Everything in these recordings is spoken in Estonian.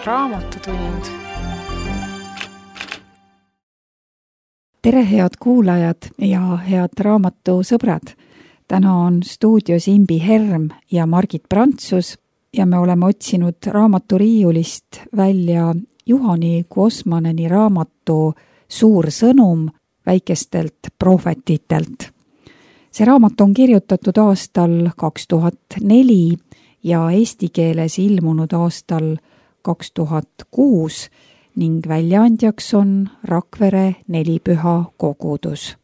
Raamatutund. Tere, head kuulajad ja head raamatusõbrad! Täna on stuudios Imbi Herm ja Margit Prantsus ja me oleme otsinud raamaturiiulist välja Juhani Kuosmaneni raamatu Suur sõnum väikestelt prohvetitelt. See raamat on kirjutatud aastal 2004 ja eesti keeles ilmunud aastal 2006 ning väljaandjaks on Rakvere Nelipüha kogudus.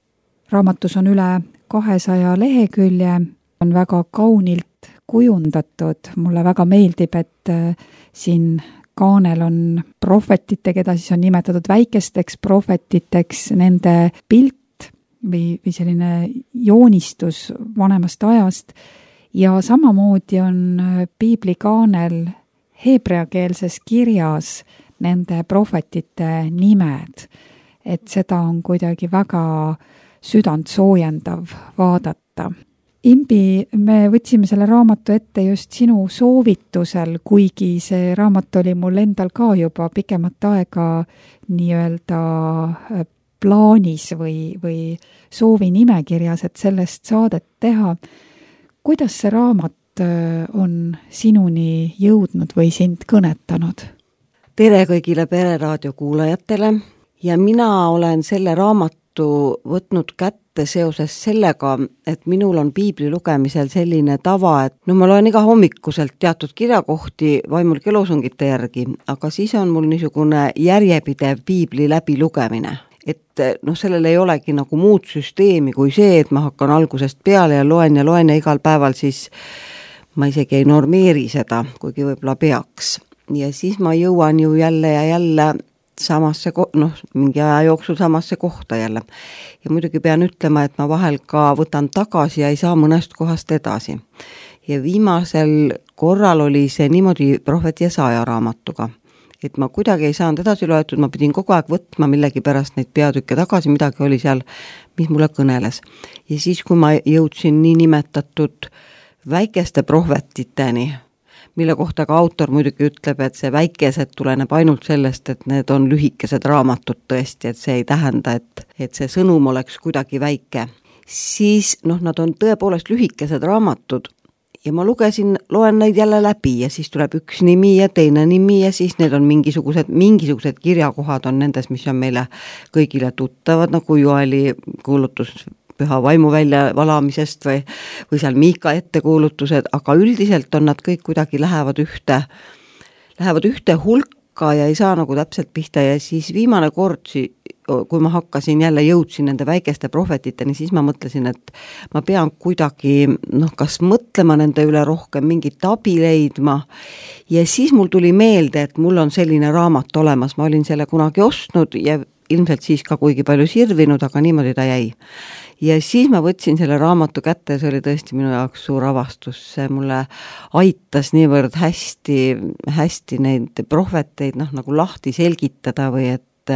Raamatus on üle 200 lehekülje, on väga kaunilt kujundatud. Mulle väga meeldib, et siin kaanel on prohvetite, keda siis on nimetatud väikesteks prohvetiteks, nende pilt või selline joonistus vanemast ajast. Ja samamoodi on piiblikaanel heebreakeelses kirjas nende prohvetite nimed. Et seda on kuidagi väga südant soojendav vaadata. Imbi, me võtsime selle raamatu ette just sinu soovitusel, kuigi see raamat oli mul endal ka juba pikemat aega nii-öelda plaanis või soovi nimekirjas, et sellest saadet teha. Kuidas see raamat on sinuni jõudnud või sind kõnetanud? Tere kõigile Pereraadio kuulajatele ja mina olen selle raamatu võtnud kätte seoses sellega, et minul on piibli lugemisel selline tava, et ma loen iga hommikuselt teatud kirjakohti vaimulike loosungite järgi, aga siis on mul niisugune järjepidev piibli läbi lugemine. Et sellel ei olegi nagu muud süsteemi kui see, et ma hakkan algusest peale ja loen ja igal päeval, siis ma isegi ei normeeri seda, kuigi võib-olla peaks. Ja siis ma jõuan ju jälle ja jälle samasse, mingi aja jooksul samasse kohta jälle. Ja muidugi pean ütlema, et ma vahel ka võtan tagasi ja ei saa mõnest kohast edasi. Ja viimasel korral oli see niimoodi Prohvet Jesaja raamatuga. Et ma kuidagi ei saanud edasi loetud, ma pidin kogu aeg võtma millegi pärast neid peatükke tagasi, midagi oli seal, mis mulle kõneles. Ja siis, kui ma jõudsin nii nimetatud väikeste prohvetiteni, mille kohta ka autor muidugi ütleb, et see väikesed tuleneb ainult sellest, et need on lühikesed raamatud tõesti, et see ei tähenda, et see sõnum oleks kuidagi väike. Siis nad on tõepoolest lühikesed raamatud ja ma loen neid jälle läbi ja siis tuleb üks nimi ja teine nimi ja siis need on mingisugused kirjakohad on nendes, mis on meile kõigile tuttavad, nagu Joeli kuulutus Püha vaimu välja valamisest või seal Miika ettekuulutused, aga üldiselt on nad kõik kuidagi lähevad ühte hulka ja ei saa nagu täpselt pihta ja siis viimane kord, kui ma jõudsin nende väikeste prohvetiteni, siis ma mõtlesin, et ma pean kuidagi kas mõtlema nende üle rohkem, mingit abi leidma ja siis mul tuli meelde, et mul on selline raamat olemas, ma olin selle kunagi ostnud ja ilmselt siis ka kuigi palju sirvinud, aga niimoodi ta jäi. Ja siis ma võtsin selle raamatu kätte ja see oli tõesti minu jaoks suur avastus. See mulle aitas niivõrd hästi neid prohveteid nagu lahti selgitada või et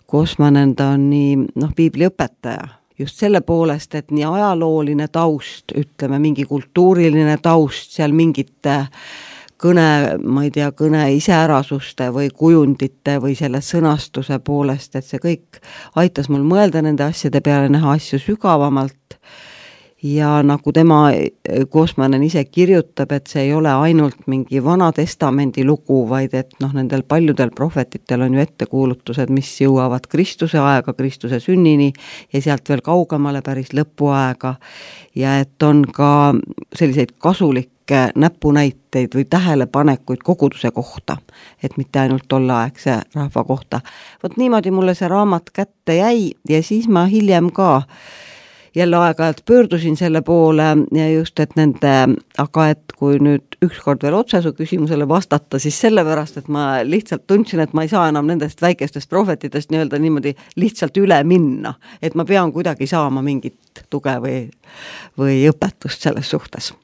Kuosmanen ta on nii piibliõpetaja. Just selle poolest, et nii ajalooline taust, ütleme mingi kultuuriline taust, seal mingite kõne iseärasuste või kujundite või selle sõnastuse poolest, et see kõik aitas mul mõelda nende asjade peale, näha asju sügavamalt ja nagu tema Kuosmanen ise kirjutab, et see ei ole ainult mingi Vana Testamendi lugu, vaid et nendel paljudel prohvetitel on ju ettekuulutused, mis jõuavad Kristuse aega, Kristuse sünnini ja sealt veel kaugemale päris lõpuaega ja et on ka selliseid kasulikke näpunäiteid või tähelepanekuid koguduse kohta, et mitte ainult tolleaegse rahva kohta. Vot niimoodi mulle see raamat kätte jäi ja siis ma hiljem ka jälle aeg-ajalt pöördusin selle poole ja just, et aga et kui nüüd ükskord veel otse su küsimusele vastata, siis sellepärast, et ma lihtsalt tundsin, et ma ei saa enam nendest väikestest prohvetitest nii-öelda niimoodi lihtsalt üle minna, et ma pean kuidagi saama mingit tuge või õpetust selles suhtes.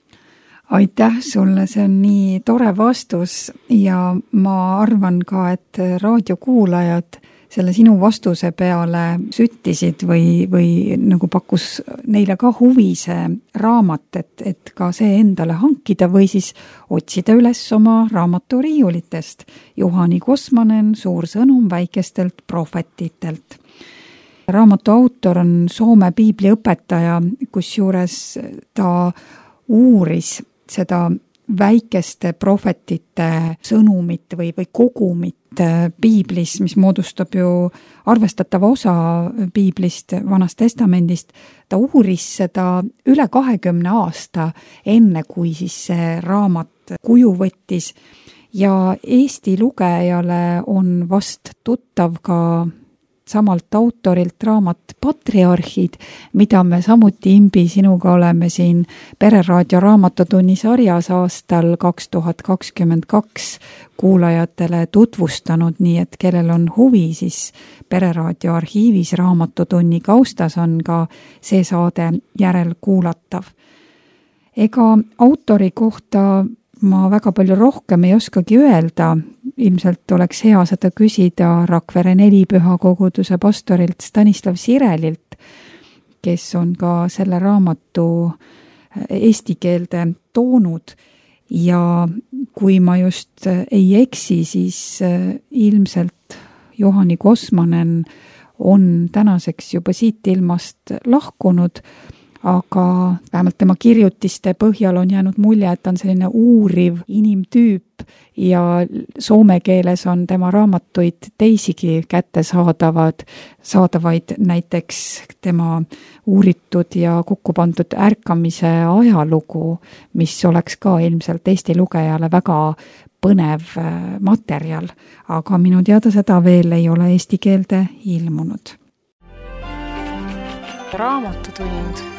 Aitäh sulle, see on nii tore vastus ja ma arvan ka, et raadiokuulajad selle sinu vastuse peale süttisid või nagu pakkus neile ka huvi see raamat, et ka see endale hankida või siis otsida üles oma raamaturiiulitest. Juhani Kosmanen, Suur sõnum väikestelt prohvetitelt. Raamatu autor on Soome piibliõpetaja, kusjuures ta uuris seda väikeste prohvetite sõnumit või kogumit piiblis, mis moodustab ju arvestatava osa piiblist, Vanast Testamendist. Ta uuris seda üle 20 aasta, enne kui siis see raamat kuju võttis ja Eesti lugejale on vast tuttav ka samalt autorilt raamat Patriarhid, mida me samuti, Imbi, sinuga oleme siin Pereraadio raamatutunni sarjas aastal 2022 kuulajatele tutvustanud, nii et kellel on huvi, siis Pereraadio arhiivis raamatutunni kaustas on ka see saade järelkuulatav. Ega autori kohta ma väga palju rohkem ei oskagi öelda, ilmselt oleks hea seda küsida Rakvere Nelipüha koguduse pastorilt Stanislav Sirelilt, kes on ka selle raamatu eesti keelde toonud ja kui ma just ei eksi, siis ilmselt Juhani Kosmanen on tänaseks juba siit ilmast lahkunud, aga vähemalt tema kirjutiste põhjal on jäänud mulje, et ta on selline uuriv inimtüüp ja soome keeles on tema raamatuid teisigi kättesaadavaid, näiteks tema uuritud ja kokku pandud ärkamise ajalugu, mis oleks ka ilmselt Eesti lugejale väga põnev materjal, aga minu teada seda veel ei ole eesti keelde ilmunud. Raamatutund.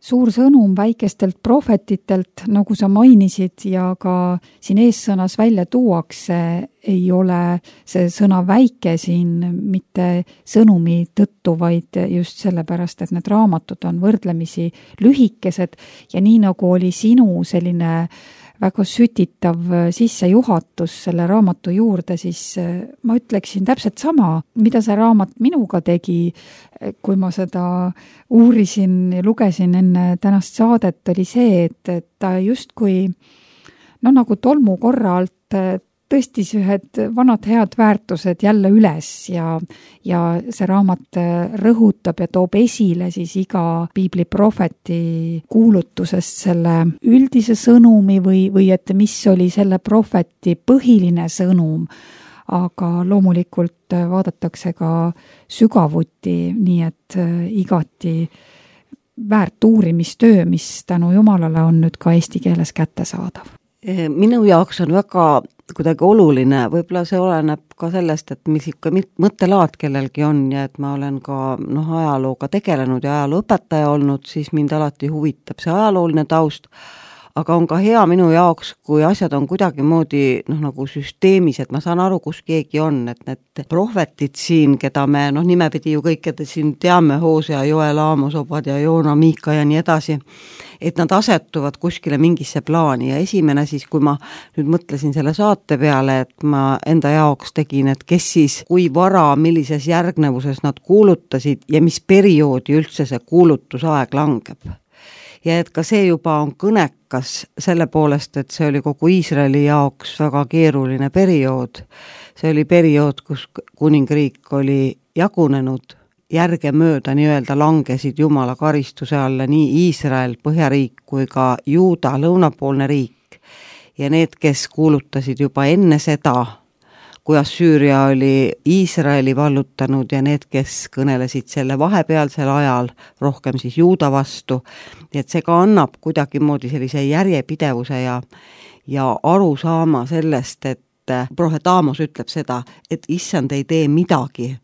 Suur sõnum väikestelt prohvetitelt, nagu sa mainisid ja ka siin eessõnas välja tuuakse, ei ole see sõna väike siin mitte sõnumi tõttu, vaid just sellepärast, et need raamatud on võrdlemisi lühikesed ja nii nagu oli sinu selline väga sütitav sissejuhatus selle raamatu juurde, siis ma ütleksin täpselt sama, mida see raamat minuga tegi, kui ma seda uurisin ja lugesin enne tänast saadet, oli see, et ta justkui nagu tolmu korra alt tõstis ühed vanad head väärtused jälle üles ja see raamat rõhutab ja toob esile siis iga piibliprohveti kuulutusest selle üldise sõnumi või et mis oli selle prohveti põhiline sõnum, aga loomulikult vaadatakse ka sügavuti, nii et igati väärt uurimistöö, mis tänu Jumalale on nüüd ka eesti keeles kättesaadav. Minu jaoks on väga kuidagi oluline, võib-olla see oleneb ka sellest, et mis ikka mõttelaad kellelgi on ja et ma olen ka ajalooga tegelenud ja ajalooõpetaja olnud, siis mind alati huvitab see ajalooline taust, aga on ka hea minu jaoks, kui asjad on kuidagimoodi nagu süsteemis, et ma saan aru, kus keegi on, et need prohvetid siin, keda me nimepidi ju kõikide siin teame, Hosea, Joel, Aamos, Obadja, Joona, Miika ja nii edasi, et nad asetuvad kuskile mingisse plaani ja esimene siis, kui ma nüüd mõtlesin selle saate peale, et ma enda jaoks tegin, et kes siis, kui vara, millises järgnevuses nad kuulutasid ja mis perioodi üldse see kuulutusaeg langeb. Ja et ka see juba on kõnekas selle poolest, et see oli kogu Iisraeli jaoks väga keeruline periood. See oli periood, kus kuningriik oli jagunenud, järgemööda nii-öelda langesid Jumala karistuse alla nii Iisrael, põhjariik kui ka Juuda, lõunapoolne riik. Ja need, kes kuulutasid juba enne seda, kui Assüüria oli Iisraeli vallutanud ja need, kes kõnelesid selle vahepealsel ajal, rohkem siis Juuda vastu, et see ka annab kuidagimoodi sellise järjepidevuse ja aru saama sellest, et prohvet Aamos ütleb seda, et issand ei tee midagi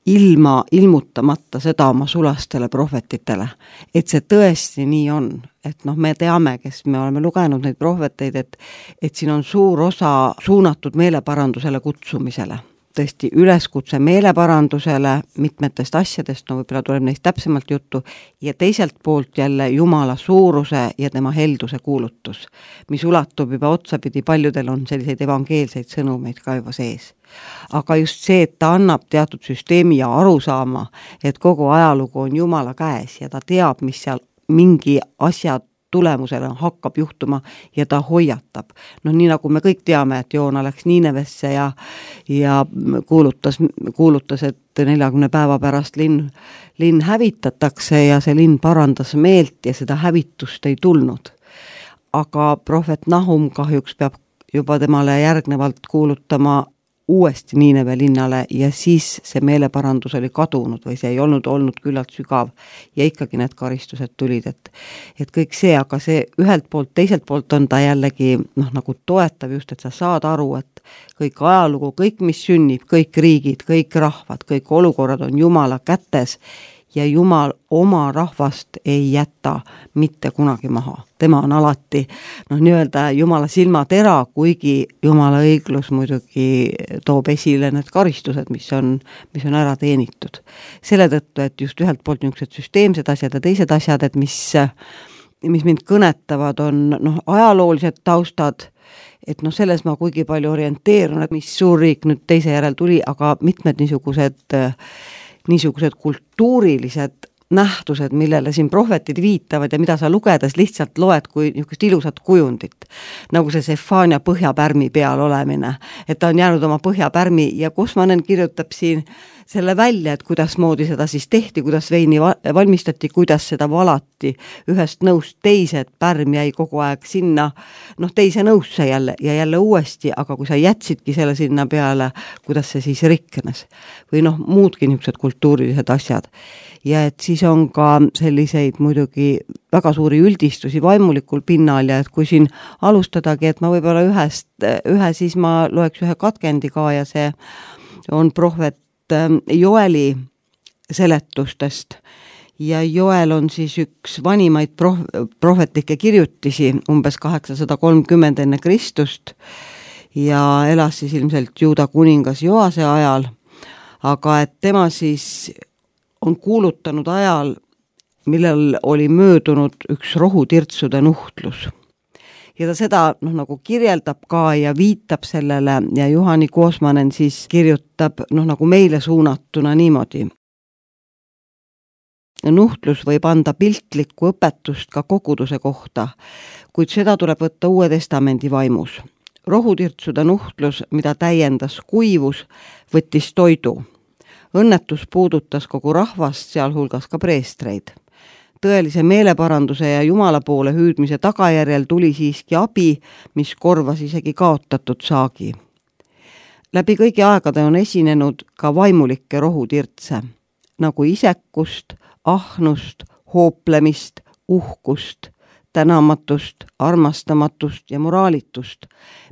ilmutamata seda oma sulastele prohvetitele, et see tõesti nii on, et me teame, kes me oleme lugenud neid prohveteid, et siin on suur osa suunatud meeleparandusele kutsumisele. tõesti üleskutse meeleparandusele mitmetest asjadest, no võib-olla tuleb neist täpsemalt juttu, ja teiselt poolt jälle Jumala suuruse ja tema helduse kuulutus, mis ulatub juba otsapidi, paljudel on selliseid evangeelseid sõnumeid ka juba sees. Aga just see, et ta annab teatud süsteemi ja arusaama, et kogu ajalugu on Jumala käes ja ta teab, mis seal mingi asja tulemusena hakkab juhtuma ja ta hoiatab. No nii nagu me kõik teame, et Joona läks Niinevesse ja kuulutas, et 40 päeva pärast linn hävitatakse ja see linn parandas meelt ja seda hävitust ei tulnud. Aga prohvet Nahum kahjuks peab juba temale järgnevalt kuulutama uuesti Niineve linnale ja siis see meeleparandus oli kadunud või see ei olnud küllalt sügav ja ikkagi need karistused tulid, et kõik see, aga see ühelt poolt, teiselt poolt on ta jällegi nagu toetav just, et sa saad aru, et kõik ajalugu, kõik mis sünnib, kõik riigid, kõik rahvad, kõik olukorrad on Jumala kätes ja Jumal oma rahvast ei jäta mitte kunagi maha. Tema on alati nii-öelda Jumala silmatera, kuigi Jumala õiglus muidugi toob esile need karistused, mis on ära teenitud. Selle tõttu, et just ühelt poolt niisugused süsteemsed asjad ja teised asjad, et mis mind kõnetavad, on ajaloolised taustad, et selles ma kuigi palju orienteerun, et mis suurriik nüüd teise järel tuli, aga mitmed niisugused kultuurilised nähtused, millele siin prohvetid viitavad ja mida sa lugedes lihtsalt loed kui niisugust ilusat kujundit, nagu see Sefania põhjapärmi peal olemine, et ta on jäänud oma põhjapärmi ja Kosmanen kirjutab siin selle välja, et kuidas moodi seda siis tehti, kuidas veini valmistati, kuidas seda valati ühest nõust teise, et pärm jäi kogu aeg sinna, teise nõusse jälle ja jälle uuesti, aga kui sa jätsidki selle sinna peale, kuidas see siis rikkenes või muudki niisugused kultuurilised asjad. Ja et siis on ka selliseid muidugi väga suuri üldistusi vaimulikul pinnal ja et kui siin alustadagi, et ma võib-olla ühe siis ma loeks ühe katkendi ka ja see on prohvet Joeli seletustest ja Joel on siis üks vanimaid prohvetlikke kirjutisi umbes 830 enne Kristust ja elas siis ilmselt Juuda kuningas Joase ajal, aga et tema siis on kuulutanud ajal, millel oli möödunud üks rohutirtsude nuhtlus. Ja ta seda nagu kirjeldab ka ja viitab sellele ja Juhani Kosmanen siis kirjutab nagu meile suunatuna niimoodi. Nuhtlus võib anda piltlikku õpetust ka koguduse kohta, kuid seda tuleb võtta Uue Testamendi vaimus. Rohutirtsude nuhtlus, mida täiendas kuivus, võttis toidu. Õnnetus puudutas kogu rahvast, sealhulgas ka preestreid. Tõelise meeleparanduse ja Jumala poole hüüdmise tagajärjel tuli siiski abi, mis korvas isegi kaotatud saagi. Läbi kõigi aegade on esinenud ka vaimulikke rohutirtse, nagu isekust, ahnust, hooplemist, uhkust, tänamatust, armastamatust ja moraalitust,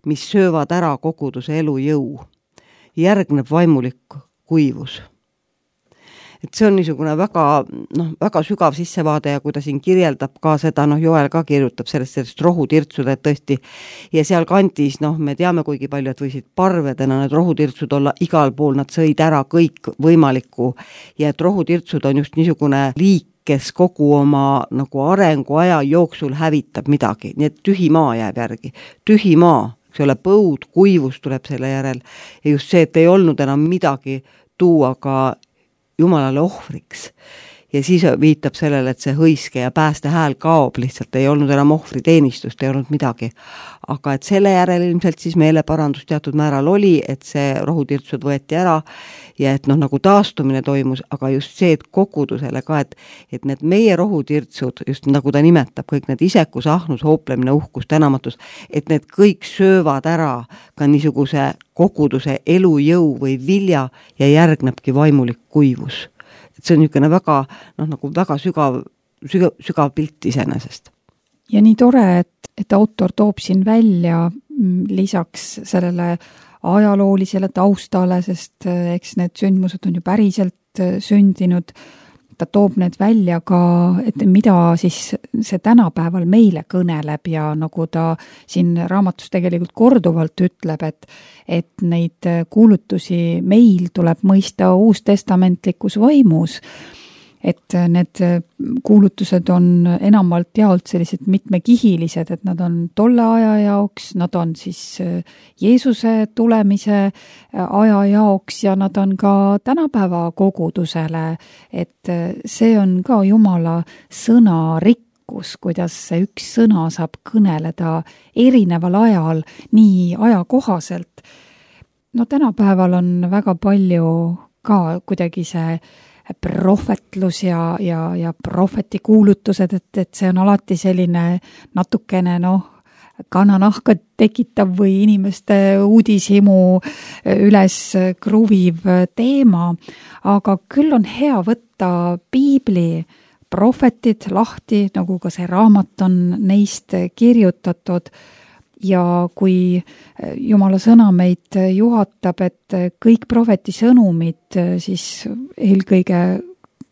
mis söövad ära koguduse elujõu. Järgneb vaimulik kuivus. Et see on niisugune väga sügav sissevaade ja kui ta siin kirjeldab ka seda, Joel ka kirjutab sellest rohutirtsude, et tõesti, ja seal kandis, me teame kuigi palju, et võisid parvedena need rohutirtsud olla igal pool, nad sõid ära kõik võimalikku ja et rohutirtsud on just niisugune liik, kes kogu oma arenguaja jooksul hävitab midagi, nii et tühi maa jääb järgi, tühi maa, eks ole, põud, kuivus tuleb selle järel ja just see, et ei olnud enam midagi tuua ka Jumalale ohvriks. Ja siis viitab sellele, et see hõiske ja pääste hääl kaob, lihtsalt ei olnud enam ohvriteenistust, ei olnud midagi. Aga et selle järel ilmselt siis meeleparandus teatud määral oli, et see rohutirtsud võeti ära ja et nagu taastumine toimus, aga just see, et kogudusele ka, et need meie rohutirtsud, just nagu ta nimetab, kõik need isekus, ahnus, hooplemine, uhkus, tänamatus, et need kõik söövad ära ka niisuguse koguduse elujõu või vilja ja järgnebki vaimulik kuivus. Et see on niisugune väga, väga sügav pilt iseenesest. Ja nii tore, et autor toob siin välja lisaks sellele ajaloolisele taustale, sest eks need sündmused on ju päriselt sündinud, ta toob need välja ka, et mida siis see tänapäeval meile kõneleb ja nagu ta siin raamatus tegelikult korduvalt ütleb, et neid kuulutusi meil tuleb mõista uustestamentlikus vaimus, et need kuulutused on enamalt jaolt sellised mitmekihilised, et nad on tolle aja jaoks, nad on siis Jeesuse tulemise aja jaoks ja nad on ka tänapäeva kogudusele, et see on ka Jumala sõna rikkus, kuidas see üks sõna saab kõneleda erineval ajal, nii ajakohaselt. No tänapäeval on väga palju ka kuidagi see prohvetlus ja prohvetikuulutused, et see on alati selline natukene kananahka tekitav või inimeste uudishimu üles kruviv teema, aga küll on hea võtta piibli prohvetid lahti, nagu ka see raamat on neist kirjutatud, ja kui Jumala sõna meid juhatab, et kõik prohveti sõnumid siis eelkõige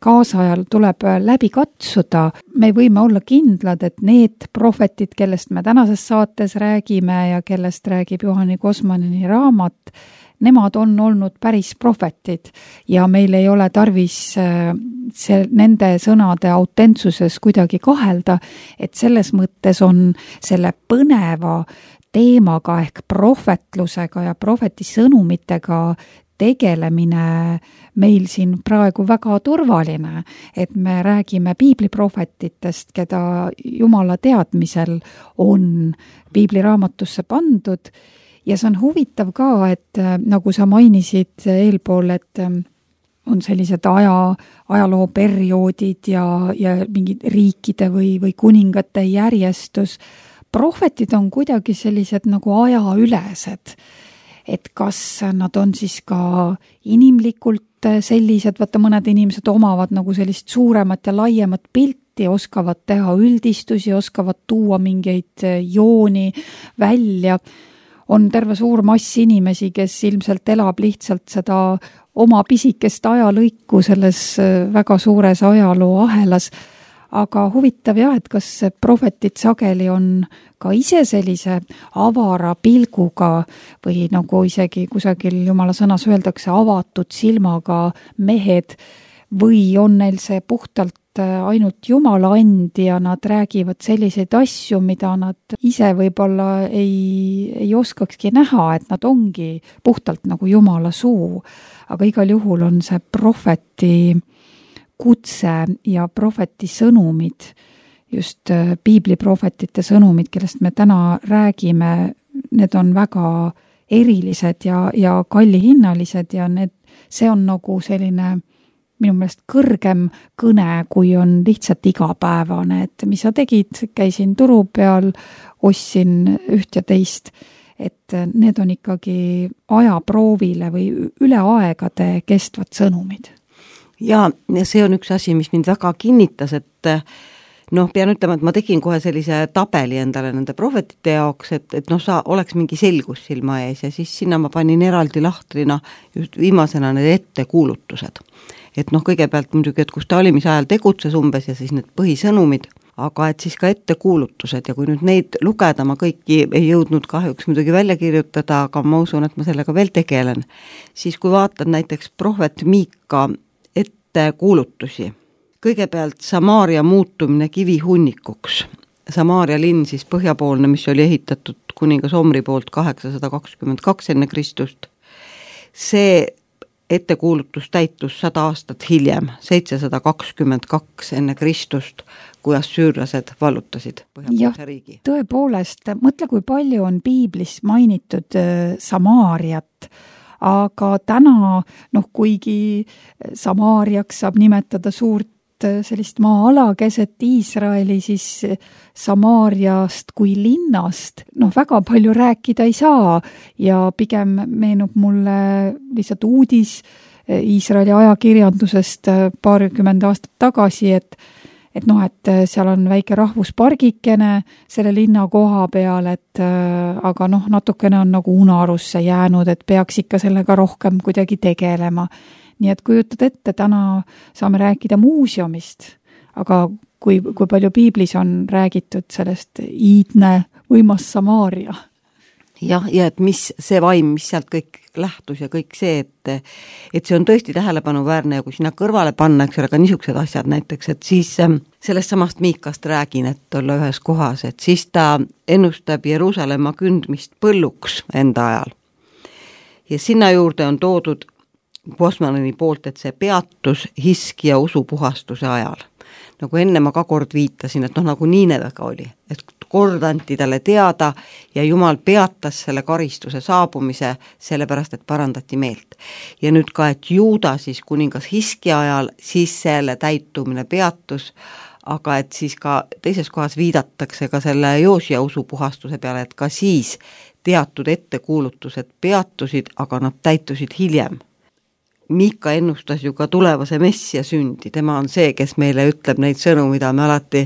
kaasajal tuleb läbi katsuda, me võime olla kindlad, et need prohvetid, kellest me tänases saates räägime ja kellest räägib Juhani Kosmaneni raamat, nemad on olnud päris prohvetid ja meil ei ole tarvis nende sõnade autentsuses kuidagi kahelda, et selles mõttes on selle põneva teemaga ehk prohvetlusega ja prohveti sõnumitega tegelemine meil siin praegu väga turvaline, et me räägime piibliprohvetitest, keda Jumala teadmisel on piibliraamatusse pandud. Ja see on huvitav ka, et nagu sa mainisid eelpool, et on sellised ajalooperioodid ja mingid riikide või kuningate järjestus. Prohvetid on kuidagi sellised nagu ajaülesed, et kas nad on siis ka inimlikult sellised, vaata mõned inimesed omavad nagu sellist suuremat ja laiemat pilti, oskavad teha üldistusi, oskavad tuua mingeid jooni välja. On terve suur mass inimesi, kes ilmselt elab lihtsalt seda oma pisikest ajalõiku selles väga suures ajaloo ahelas. Aga huvitav jah, et kas prohvetid sageli on ka ise sellise avara pilguga või nagu isegi kusagil Jumala sõnas öeldakse avatud silmaga mehed või on neil see puhtalt ainult Jumala and ja nad räägivad selliseid asju, mida nad ise võib-olla ei oskakski näha, et nad ongi puhtalt nagu Jumala suu. Aga igal juhul on see prohveti kutse ja prohveti sõnumid, just piibliprohvetite sõnumid, kellest me täna räägime, need on väga erilised ja kallihinnalised ja see on nagu selline minu meelest kõrgem kõne, kui on lihtsalt igapäevane, et mis sa tegid, käisin turu peal, ostsin üht ja teist, et need on ikkagi ajaproovile või üle aegade kestvad sõnumid. Ja see on üks asi, mis mind väga kinnitas, et pean ütlema, et ma tegin kohe sellise tabeli endale nende prohvetite jaoks, et oleks mingi selgus silma ees ja siis sinna ma panin eraldi lahtrina just viimasena need ettekuulutused. Et kõigepealt muidugi, et kus ta valimise ajal tegutses umbes ja siis need põhisõnumid, aga et siis ka ettekuulutused ja kui nüüd neid lugeda, ma kõiki ei jõudnud kahjuks muidugi välja kirjutada, aga ma usun, et ma sellega veel tegelen, siis kui vaatad näiteks prohvet Miika ettekuulutusi, kõigepealt Samaaria muutumine kivihunnikuks. Samaaria linn siis põhjapoolne, mis oli ehitatud kuningas Omri poolt 822 enne Kristust. See ettekuulutus täitus 100 aastat hiljem, 722 enne Kristust, kui assüürlased vallutasid põhjapoolse riigi. Tõepoolest, mõtle, kui palju on piiblis mainitud Samaariat, aga täna, kuigi Samaariaks saab nimetada suurt sellist maa-ala keset Iisraeli, siis Samaariast kui linnast väga palju rääkida ei saa ja pigem meenub mulle lihtsalt uudis Iisraeli ajakirjandusest paarkümmend aastat tagasi, et seal on väike rahvuspargikene selle linna koha peal, aga natukene on nagu unarusse jäänud, et peaks ikka sellega rohkem kuidagi tegelema. nii et kujutad ette, täna saame rääkida muuseumist, aga kui palju piiblis on räägitud sellest iidne võimas Samaaria. Jah, ja et mis see vaim, mis sealt kõik lähtus ja kõik see, et see on tõesti tähelepanuväärne ja kui sinna kõrvale panna, eks ole, ka niisugused asjad näiteks, et siis sellest samast Miikast räägin, et olla ühes kohas, et siis ta ennustab Jeruusalemma kündmist põlluks enda ajal. Ja sinna juurde on toodud Bosmanini poolt, et see peatus Hiskia usupuhastuse ajal. Nagu enne ma ka kord viitasin, et nagu Niinevega oli, et kord anti talle teada ja Jumal peatas selle karistuse saabumise sellepärast, et parandati meelt. Ja nüüd ka, et Juuda siis kuningas Hiskia ajal, siis selle täitumine peatus, aga et siis ka teises kohas viidatakse ka selle Joosia usupuhastuse peale, et ka siis teatud ettekuulutused peatusid, aga nad täitusid hiljem. Miika ennustas ju ka tulevase messia sündi, tema on see, kes meile ütleb neid sõnu, mida me alati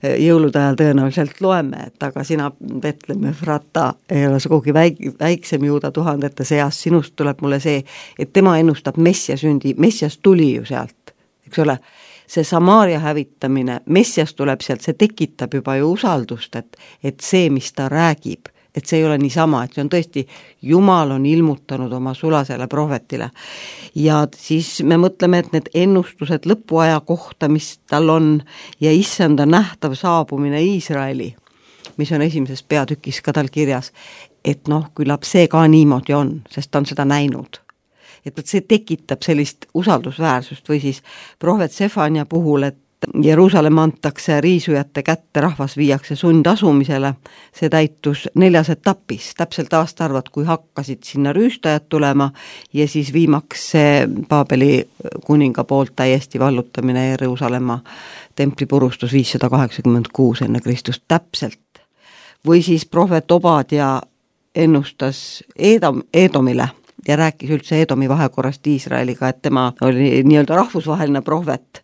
jõulude ajal tõenäoliselt loeme, et aga sina, Betlehem Efrata, ei ole sugugi väiksem Juuda tuhandete seas, sinust tuleb mulle see, et tema ennustab messia sündi, messias tuli ju sealt, eks ole, see Samaaria hävitamine, messias tuleb sealt, see tekitab juba ju usaldust, et see, mis ta räägib, et see ei ole niisama, et see on tõesti, Jumal on ilmutanud oma sulasele prohvetile. Ja siis me mõtleme, et need ennustused lõpuaja kohta, mis tal on, ja issanda nähtav saabumine Iisraeli, mis on esimeses peatükis ka tal kirjas, et küllap see ka niimoodi on, sest ta on seda näinud. Et see tekitab sellist usaldusväärsust või siis prohvet Sefania puhul, et Jeruusalemm antakse riisujate kätte, rahvas viiakse sundasumisele, see täitus 4 etapis, täpselt aastaarvad, kui hakkasid sinna rüüstajad tulema ja siis viimaks see Paabeli kuninga poolt täiesti vallutamine Jeruusalemma templi purustus 586 enne Kristust täpselt. Või siis prohvet Obadia ennustas Edomile ja rääkis üldse Edomi vahekorrast Iisraeliga, et tema oli nii-öelda rahvusvaheline prohvet.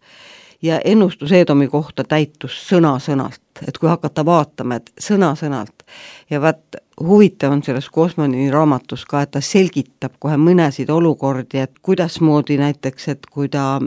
Ja ennustus Edomi kohta täitus sõna-sõnalt, et kui hakata vaatama, et sõna-sõnalt. Ja huvitav on selles Bosmanini raamatus ka, et ta selgitab kohe mõnesid olukordi, et kuidasmoodi näiteks, et kui ta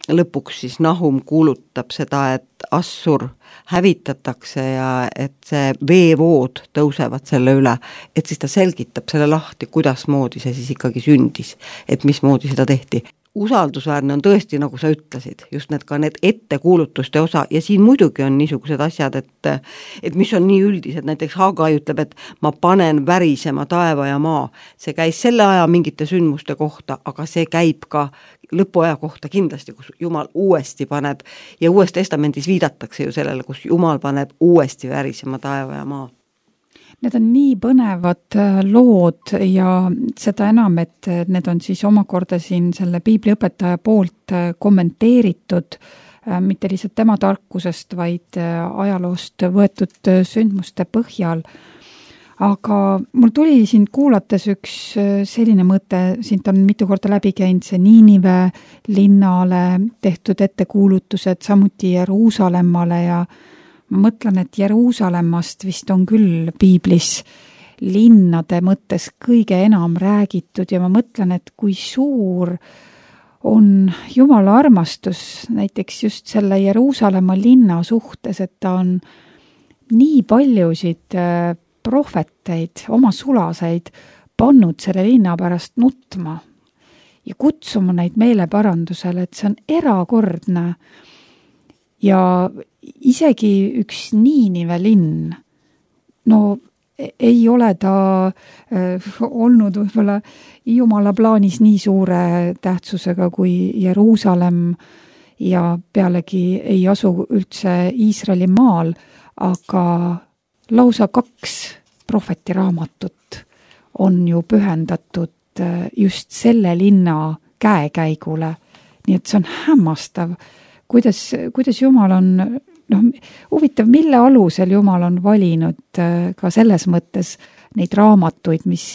lõpuks siis Nahum kuulutab seda, et Assur hävitatakse ja et see veevood tõusevad selle üle, et siis ta selgitab selle lahti, kuidasmoodi see siis ikkagi sündis, et mismoodi seda tehti. Usaldusväärne on tõesti, nagu sa ütlesid, just need ettekuulutuste osa ja siin muidugi on niisugused asjad, et mis on nii üldised, näiteks Hagai ütleb, et ma panen värisema taeva ja maa. See käis selle aja mingite sündmuste kohta, aga see käib ka lõpuaja kohta kindlasti, kus Jumal uuesti paneb ja Uues Testamendis viidatakse ju sellele, kus Jumal paneb uuesti värisema taeva ja maa. Need on nii põnevad lood ja seda enam, et need on siis omakorda siin selle piibliõpetaja poolt kommenteeritud, mitte lihtsalt tema tarkusest, vaid ajaloost võetud sündmuste põhjal. Aga mul tuli sind kuulates üks selline mõte, sind on mitu korda läbi käinud see Niinive linnale tehtud ettekuulutused, samuti Jeruusalemmale ja ma mõtlen, et Jeruusalemmast vist on küll piiblis linnade mõttes kõige enam räägitud ja ma mõtlen, et kui suur on Jumala armastus näiteks just selle Jeruusalemma linna suhtes, et ta on nii paljusid prohveteid, oma sulaseid pannud selle linna pärast nutma ja kutsuma neid meeleparandusele, et see on erakordne. Ja isegi üks Niinive linn, ei ole ta olnud võib-olla Jumala plaanis nii suure tähtsusega kui Jeruusalemm ja pealegi ei asu üldse Iisraeli maal, aga lausa 2 prohvetiraamatut on ju pühendatud just selle linna käekäigule, nii et see on hämmastav. Kuidas Jumal on, huvitav, mille alusel Jumal on valinud ka selles mõttes neid raamatuid, mis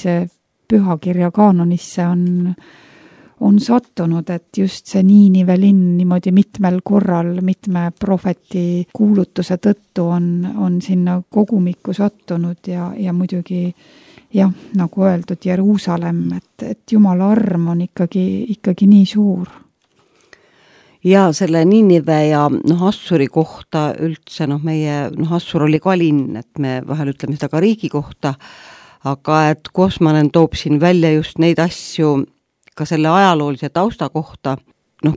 pühakirja kaanonisse on sattunud, et just see Niinive linn niimoodi mitmel korral, mitme prohveti kuulutuse tõttu on sinna kogumikku sattunud ja muidugi jah, nagu öeldud, Jeruusalemm, et Jumala arm on ikkagi nii suur. Ja selle Niinive ja Assuri kohta üldse, meie, Assur oli ka linn, et me vahel ütleme seda ka riigi kohta, aga et Kosmanen toob siin välja just neid asju ka selle ajaloolise tausta kohta,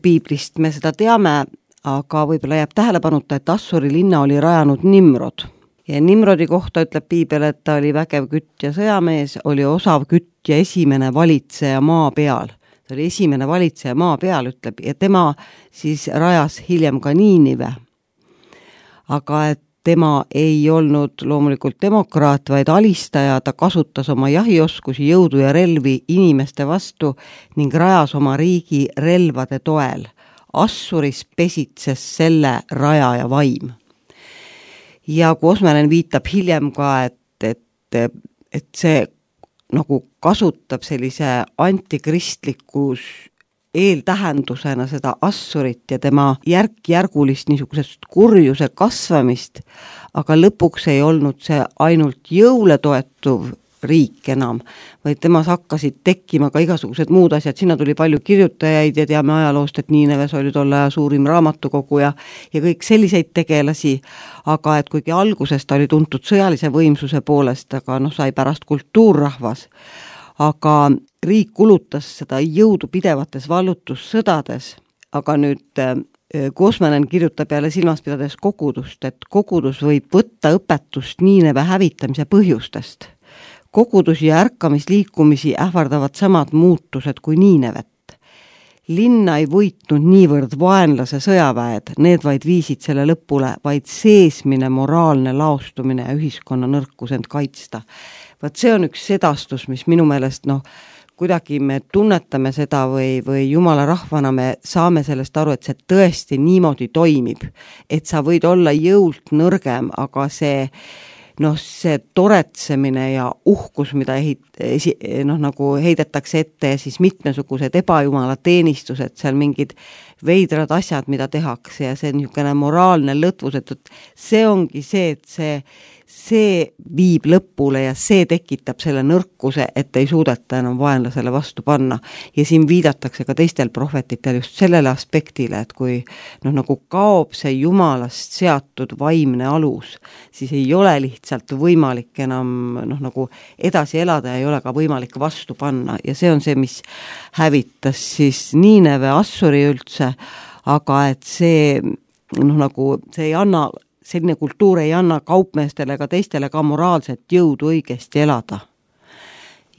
piiblist me seda teame, aga võib-olla jääb tähelepanuta, et Assuri linna oli rajanud Nimrod. Ja Nimrodi kohta ütleb piibel, et ta oli vägev kütt ja sõjamees, oli osav kütt ja esimene valitseja maa peal. Ta oli esimene valitseja maa peal, ütleb, ja tema siis rajas hiljem ka Niinive. Aga et tema ei olnud loomulikult demokraat, vaid alistaja, ta kasutas oma jahioskusi, jõudu ja relvi inimeste vastu ning rajas oma riigi relvade toel. Assuris pesitses selle rajaja vaim. Ja Kosmanen viitab hiljem ka, et see nagu kasutab sellise antikristlikus eeltähendusena seda Assurit ja tema järk-järgulist niisugusest kurjuse kasvamist, aga lõpuks ei olnud see ainult jõule toetuv riik enam, vaid temas hakkasid tekkima ka igasugused muud asjad, sinna tuli palju kirjutajaid ja teame ajaloost, et Niineves oli tolle aja suurim raamatukogu ja kõik selliseid tegelasi, aga et kuigi alguses ta oli tuntud sõjalise võimsuse poolest, aga sai pärast kultuurrahvas, aga riik kulutas seda jõudu pidevates vallutussõdades, aga nüüd Kosmanen kirjutab jälle silmas pidades kogudust, et kogudus võib võtta õpetust Niineve hävitamise põhjustest. Kogudusi ja ärkamisliikumisi ähvardavad samad muutused kui Niinevet. Linna ei võitnud niivõrd vaenlase sõjaväed, need vaid viisid selle lõpule, vaid seesmine moraalne laostumine ja ühiskonna nõrkus end kaitsta. Vaat see on üks sedastus, mis minu meelest kuidagi me tunnetame seda või Jumala rahvana me saame sellest aru, et see tõesti niimoodi toimib, et sa võid olla jõult nõrgem, aga see toretsemine ja uhkus, mida nagu heidetakse ette ja siis mitmesugused ebajumala teenistused, seal mingid veidrad asjad, mida tehakse ja see niisugune moraalne lõtvus, et see ongi see, et see viib lõpule ja see tekitab selle nõrkuse, et ei suudeta enam vaenlasele vastu panna. Ja siin viidatakse ka teistel prohvetitel just sellele aspektile, et kui nagu kaob see Jumalast seatud vaimne alus, siis ei ole lihtsalt võimalik enam nagu edasi elada ja ei ole ka võimalik vastu panna. Ja see on see, mis hävitas siis Niineve, Assuri üldse, aga et see nagu see ei anna, selline kultuur ei anna kaupmeestele ega teistele ka moraalset jõudu õigesti elada.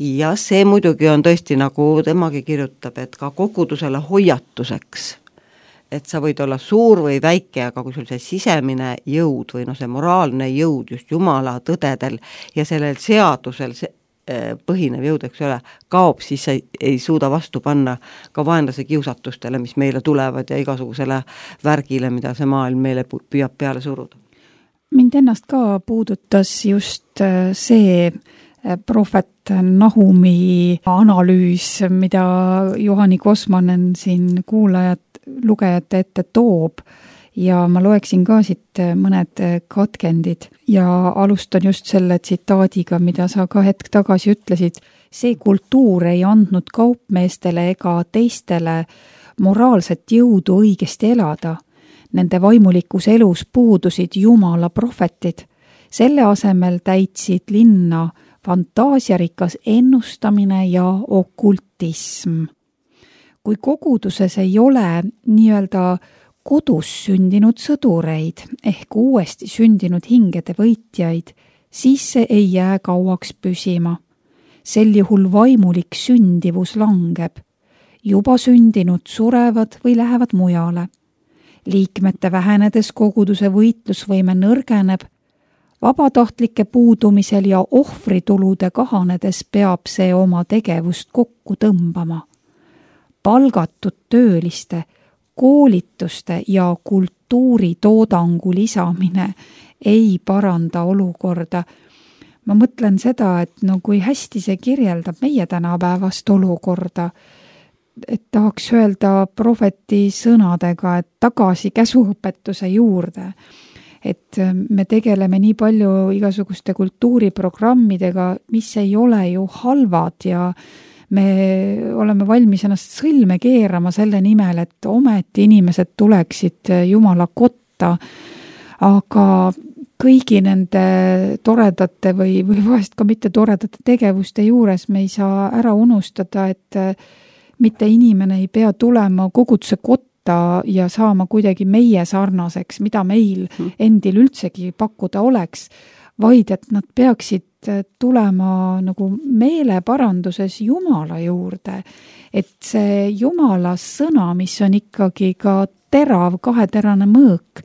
Ja see muidugi on tõesti, nagu temagi kirjutab, et ka kogudusele hoiatuseks, et sa võid olla suur või väike, aga kui sul see sisemine jõud või see moraalne jõud just Jumala tõdedel ja sellel seadusel põhinev jõud, eks ole, kaob, siis ei suuda vastu panna ka vaenlase kiusatustele, mis meile tulevad ja igasugusele värgile, mida see maailm meile püüab peale suruda. Mind ennast ka puudutas just see prohvet Nahumi analüüs, mida Juhani Kosmanen siin lugejate ette toob. Ja ma loeksin ka siit mõned katkendid ja alustan just selle tsitaadiga, mida sa ka hetk tagasi ütlesid. See kultuur ei andnud kaupmeestele ega teistele moraalset jõudu õigesti elada. Nende vaimulikus elus puudusid Jumala prohvetid. Selle asemel täitsid linna fantaasiarikas ennustamine ja okultism. Kui koguduses ei ole nii-öelda kodus sündinud sõdureid ehk uuesti sündinud hingede võitjaid, siis see ei jää kauaks püsima. Sel juhul vaimulik sündivus langeb. Juba sündinud surevad või lähevad mujale. Liikmete vähenedes koguduse võitlusvõime nõrgeneb. Vabatahtlike puudumisel ja ohvritulude kahanedes peab see oma tegevust kokku tõmbama. Palgatud tööliste koolituste ja kultuuritoodangu lisamine ei paranda olukorda. Ma mõtlen seda, et kui hästi see kirjeldab meie tänapäevast olukorda, et tahaks öelda prohveti sõnadega, et tagasi käsuõpetuse juurde. et me tegeleme nii palju igasuguste kultuuriprogrammidega, mis ei ole ju halvad ja me oleme valmis ennast sõlme keerama selle nimel, et ometi inimesed tuleksid Jumala kotta, aga kõigi nende toredate või vahest ka mitte toredate tegevuste juures me ei saa ära unustada, et mitte inimene ei pea tulema koguduse kotta ja saama kuidagi meie sarnaseks, mida meil endil üldsegi pakkuda oleks, vaid et nad peaksid tulema nagu meeleparanduses Jumala juurde. Et see Jumala sõna, mis on ikkagi ka terav, kaheterane mõõk,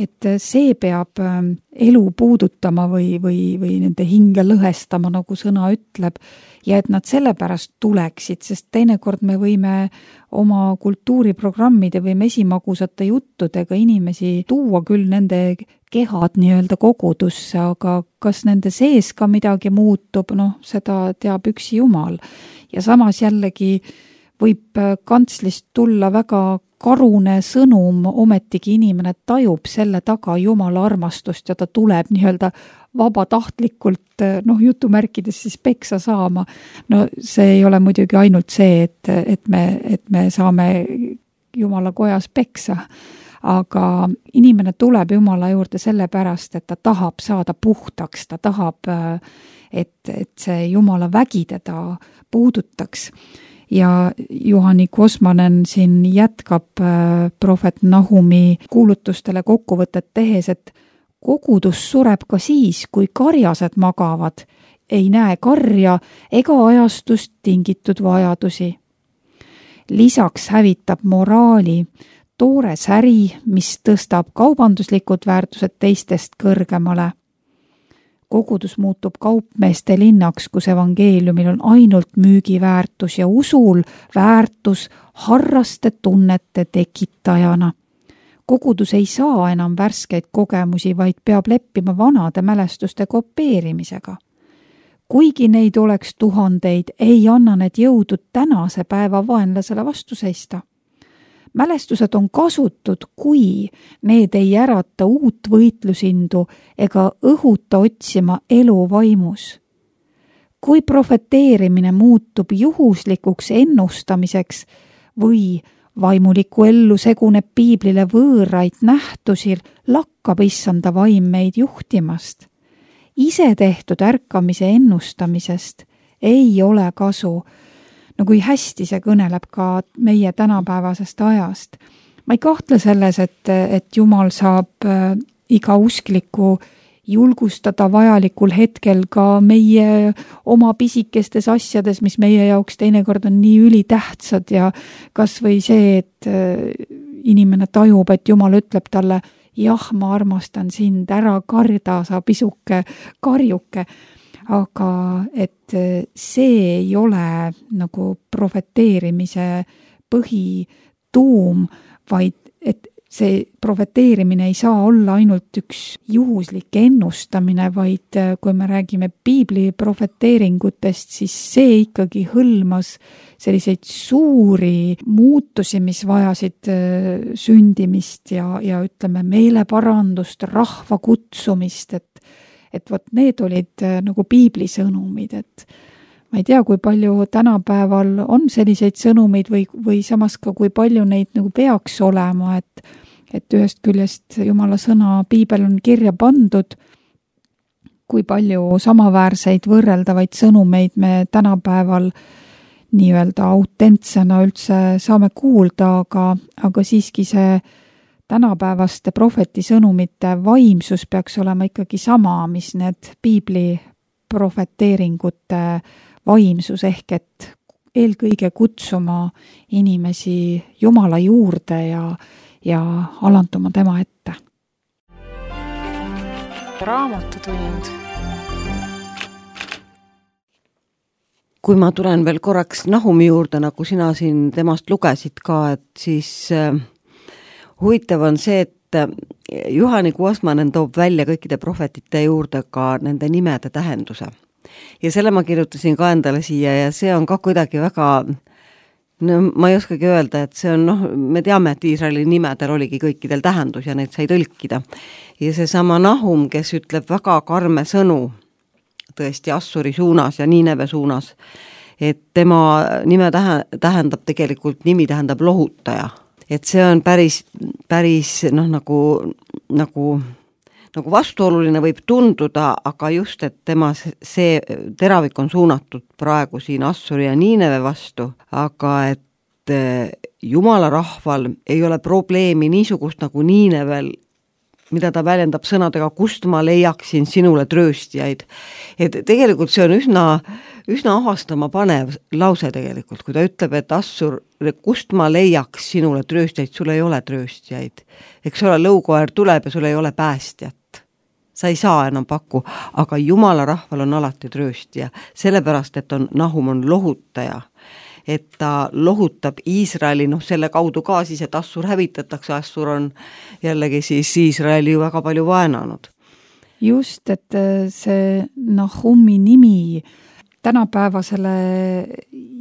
et see peab elu puudutama või nende hinge lõhestama, nagu sõna ütleb, ja et nad sellepärast tuleksid, sest teinekord me võime oma kultuuriprogrammide või mesimagusate juttudega inimesi tuua küll nende kehad nii-öelda kogudusse, aga kas nende sees ka midagi muutub, seda teab üksi Jumal. Ja samas jällegi võib kantslist tulla väga karune sõnum, ometigi inimene tajub selle taga Jumala armastust ja ta tuleb nii-öelda vabatahtlikult, jutumärkides siis peksa saama. See ei ole muidugi ainult see, et me saame Jumala kojas peksa, aga inimene tuleb Jumala juurde sellepärast, et ta tahab saada puhtaks, ta tahab, et see Jumala vägi teda puudutaks. Ja Juhani Kosmanen siin jätkab prohvet Nahumi kuulutustele kokkuvõtet tehes, et kogudus sureb ka siis, kui karjased magavad, ei näe karja ega ajastust tingitud vajadusi. Lisaks hävitab moraali toores äri, mis tõstab kaubanduslikud väärtused teistest kõrgemale. Kogudus muutub kaupmeeste linnaks, kus evangeeliumil on ainult müügiväärtus ja usul väärtus harraste tunnete tekitajana. Kogudus ei saa enam värskeid kogemusi, vaid peab leppima vanade mälestuste kopeerimisega. Kuigi neid oleks tuhandeid, ei anna need jõudu tänase päeva vaenlasele vastu seista. Mälestused on kasutud, kui need ei ärata uut võitlusindu ega õhuta otsima elu vaimus. Kui profeteerimine muutub juhuslikuks ennustamiseks või vaimuliku ellu seguneb piiblile võõraid nähtusi, lakkab issanda vaim meid juhtimast. Ise tehtud ärkamise ennustamisest ei ole kasu, kui hästi see kõneleb ka meie tänapäevasest ajast. Ma ei kahtle selles, et Jumal saab iga uskliku julgustada vajalikul hetkel ka meie oma pisikestes asjades, mis meie jaoks teinekord on nii ülitähtsad ja kas või see, et inimene tajub, et Jumal ütleb talle, jah, ma armastan sind, ära karda, sa pisuke karjuke. Aga et see ei ole nagu profeteerimise põhituum, vaid et see profeteerimine ei saa olla ainult üks juhuslik ennustamine, vaid kui me räägime piibli profeteeringutest, siis see ikkagi hõlmas selliseid suuri muutusi, mis vajasid sündimist ja ütleme meeleparandust, rahva kutsumist, et vot need olid nagu piibli sõnumid, et ma ei tea, kui palju tänapäeval on selliseid sõnumeid või samas ka kui palju neid nagu peaks olema, et ühest küljest Jumala sõna piibel on kirja pandud, kui palju samaväärseid võrreldavaid sõnumeid me tänapäeval nii-öelda autentsena üldse saame kuulda, aga siiski see tänapäevaste prohveti sõnumite vaimsus peaks olema ikkagi sama, mis need piibli profeteeringute vaimsus, ehk et eelkõige kutsuma inimesi Jumala juurde ja alanduma tema ette. Raamatutund. Kui ma tulen veel korraks Nahumi juurde, nagu sina siin temast lugesid ka, et siis huvitav on see, et Juhani Kosmanen toob välja kõikide prohvetite juurde ka nende nimede tähenduse. Ja selle ma kirjutasin ka endale siia ja see on ka kuidagi väga No ma ei oskagi öelda, et see on, me teame, et Iisraeli nimedel oligi kõikidel tähendus ja neid sai tõlkida. Ja see sama Nahum, kes ütleb väga karme sõnu tõesti Assuri suunas ja Niineve suunas, et tema nimi tähendab lohutaja. Et see on päris nagu vastuoluline võib tunduda, aga just, et tema see teravik on suunatud praegu siin Assuri ja Niineve vastu, aga et Jumala rahval ei ole probleemi niisugust nagu Niinevel, mida ta väljendab sõnadega, kust ma leiaksin sinule trööstijaid. Et tegelikult see on üsna ahastama panev lause tegelikult, kui ta ütleb, et Assur, kust ma leiaks sinule trööstijaid, sul ei ole trööstijaid. Eks ole, lõukoer tuleb ja sul ei ole päästjat. Sa ei saa enam pakku, aga Jumala rahval on alati trööstija, sellepärast, et Nahum on lohutaja. Et ta lohutab Iisraeli, selle kaudu ka siis, et Assur hävitatakse, Assur on jällegi siis Iisraeli ju väga palju vaenanud. Just, et see Nahumi nimi tänapäevasele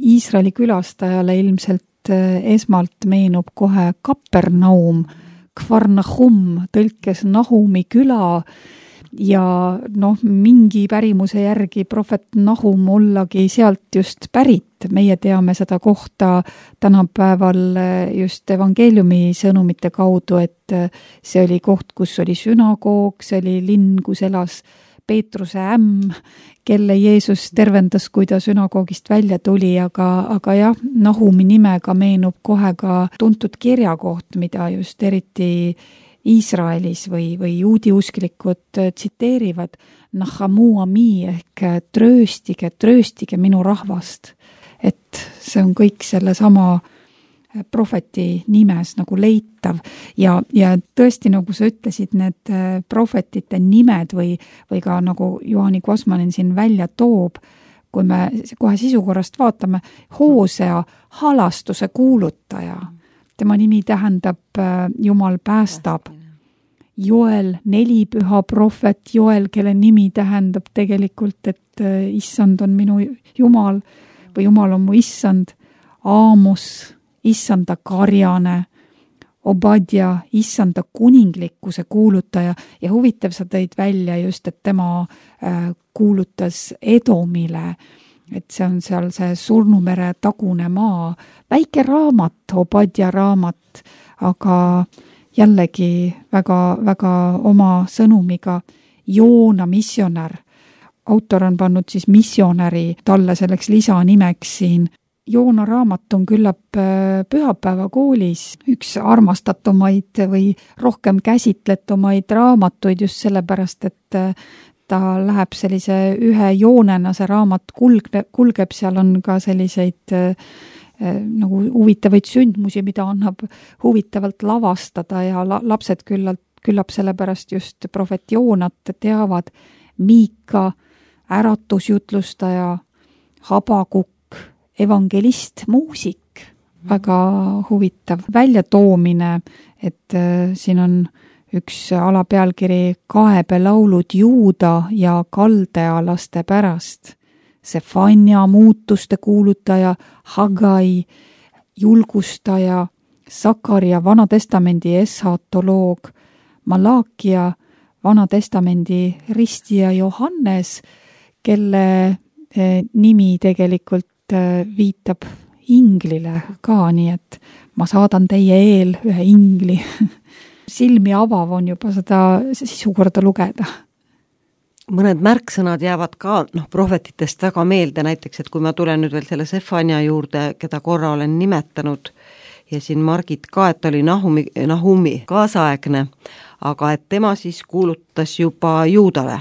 Iisraeli külastajale ilmselt esmalt meenub kohe Kapernaum, Kfar Nahum, tõlkes Nahumi küla, ja mingi pärimuse järgi prohvet Nahum ollagi sealt just pärit. Meie teame seda kohta tänapäeval just evangeeliumi sõnumite kaudu, et see oli koht, kus oli sünagoog, see oli linn, kus elas Peetruse ämm, kelle Jeesus tervendas, kui ta sünagoogist välja tuli, aga jah, Nahumi nimega meenub kohe ka tuntud kirjakoht, mida just eriti Iisraelis või juudi usklikud tsiteerivad Nahamu ami ehk trööstige minu rahvast. Et see on kõik selle sama prohveti nimes nagu leitav ja tõesti, nagu sa ütlesid, need prohvetite nimed või ka nagu Juhani Kosmanen siin välja toob, kui me kohe sisukorrast vaatame, Hoosea halastuse kuulutaja. Tema nimi tähendab Jumal päästab. Joel, 4 püha prohvet Joel, kelle nimi tähendab tegelikult, et issand on minu Jumal või Jumal on mu issand. Aamos, issanda karjane. Obadja, issanda kuninglikkuse kuulutaja. Ja huvitav, sa tõid välja just, et tema kuulutas Edomile, et see on seal see Surnumere tagune maa, väike raamat, Obadja raamat, aga jällegi väga oma sõnumiga. Joona missionär. Autor on pannud siis missionäri talle selleks lisanimeks siin. Joona raamat on küllap pühapäevakoolis üks armastatumaid või rohkem käsitletumaid raamatuid just sellepärast, et ta läheb sellise ühe joonena, see raamat kulgeb, seal on ka selliseid nagu huvitavaid sündmusi, mida annab huvitavalt lavastada ja lapsed küllap sellepärast just prohvet Joonat teavad. Miika, äratusjutlustaja, Habakuk, evangelist, muusik, väga huvitav väljatoomine, et siin on üks alapealkiri Kaebelaulud Juuda ja kaldealaste pärast. Sefania muutuste kuulutaja, Hagai julgustaja, Sakaria Vanatestamendi eshatoloog, Malakia Vanatestamendi ristija Johannes, kelle nimi tegelikult viitab inglile ka, nii et ma saadan teie eel ühe ingli. Silmi avav on juba seda sisukorda lugeda. Mõned märksõnad jäävad ka prohvetitest väga meelde, näiteks, et kui ma tulen nüüd veel selle Sefania juurde, keda korra olen nimetanud, ja siin Margit ka, et oli Nahumi kaasaegne, aga et tema siis kuulutas juba Juudale.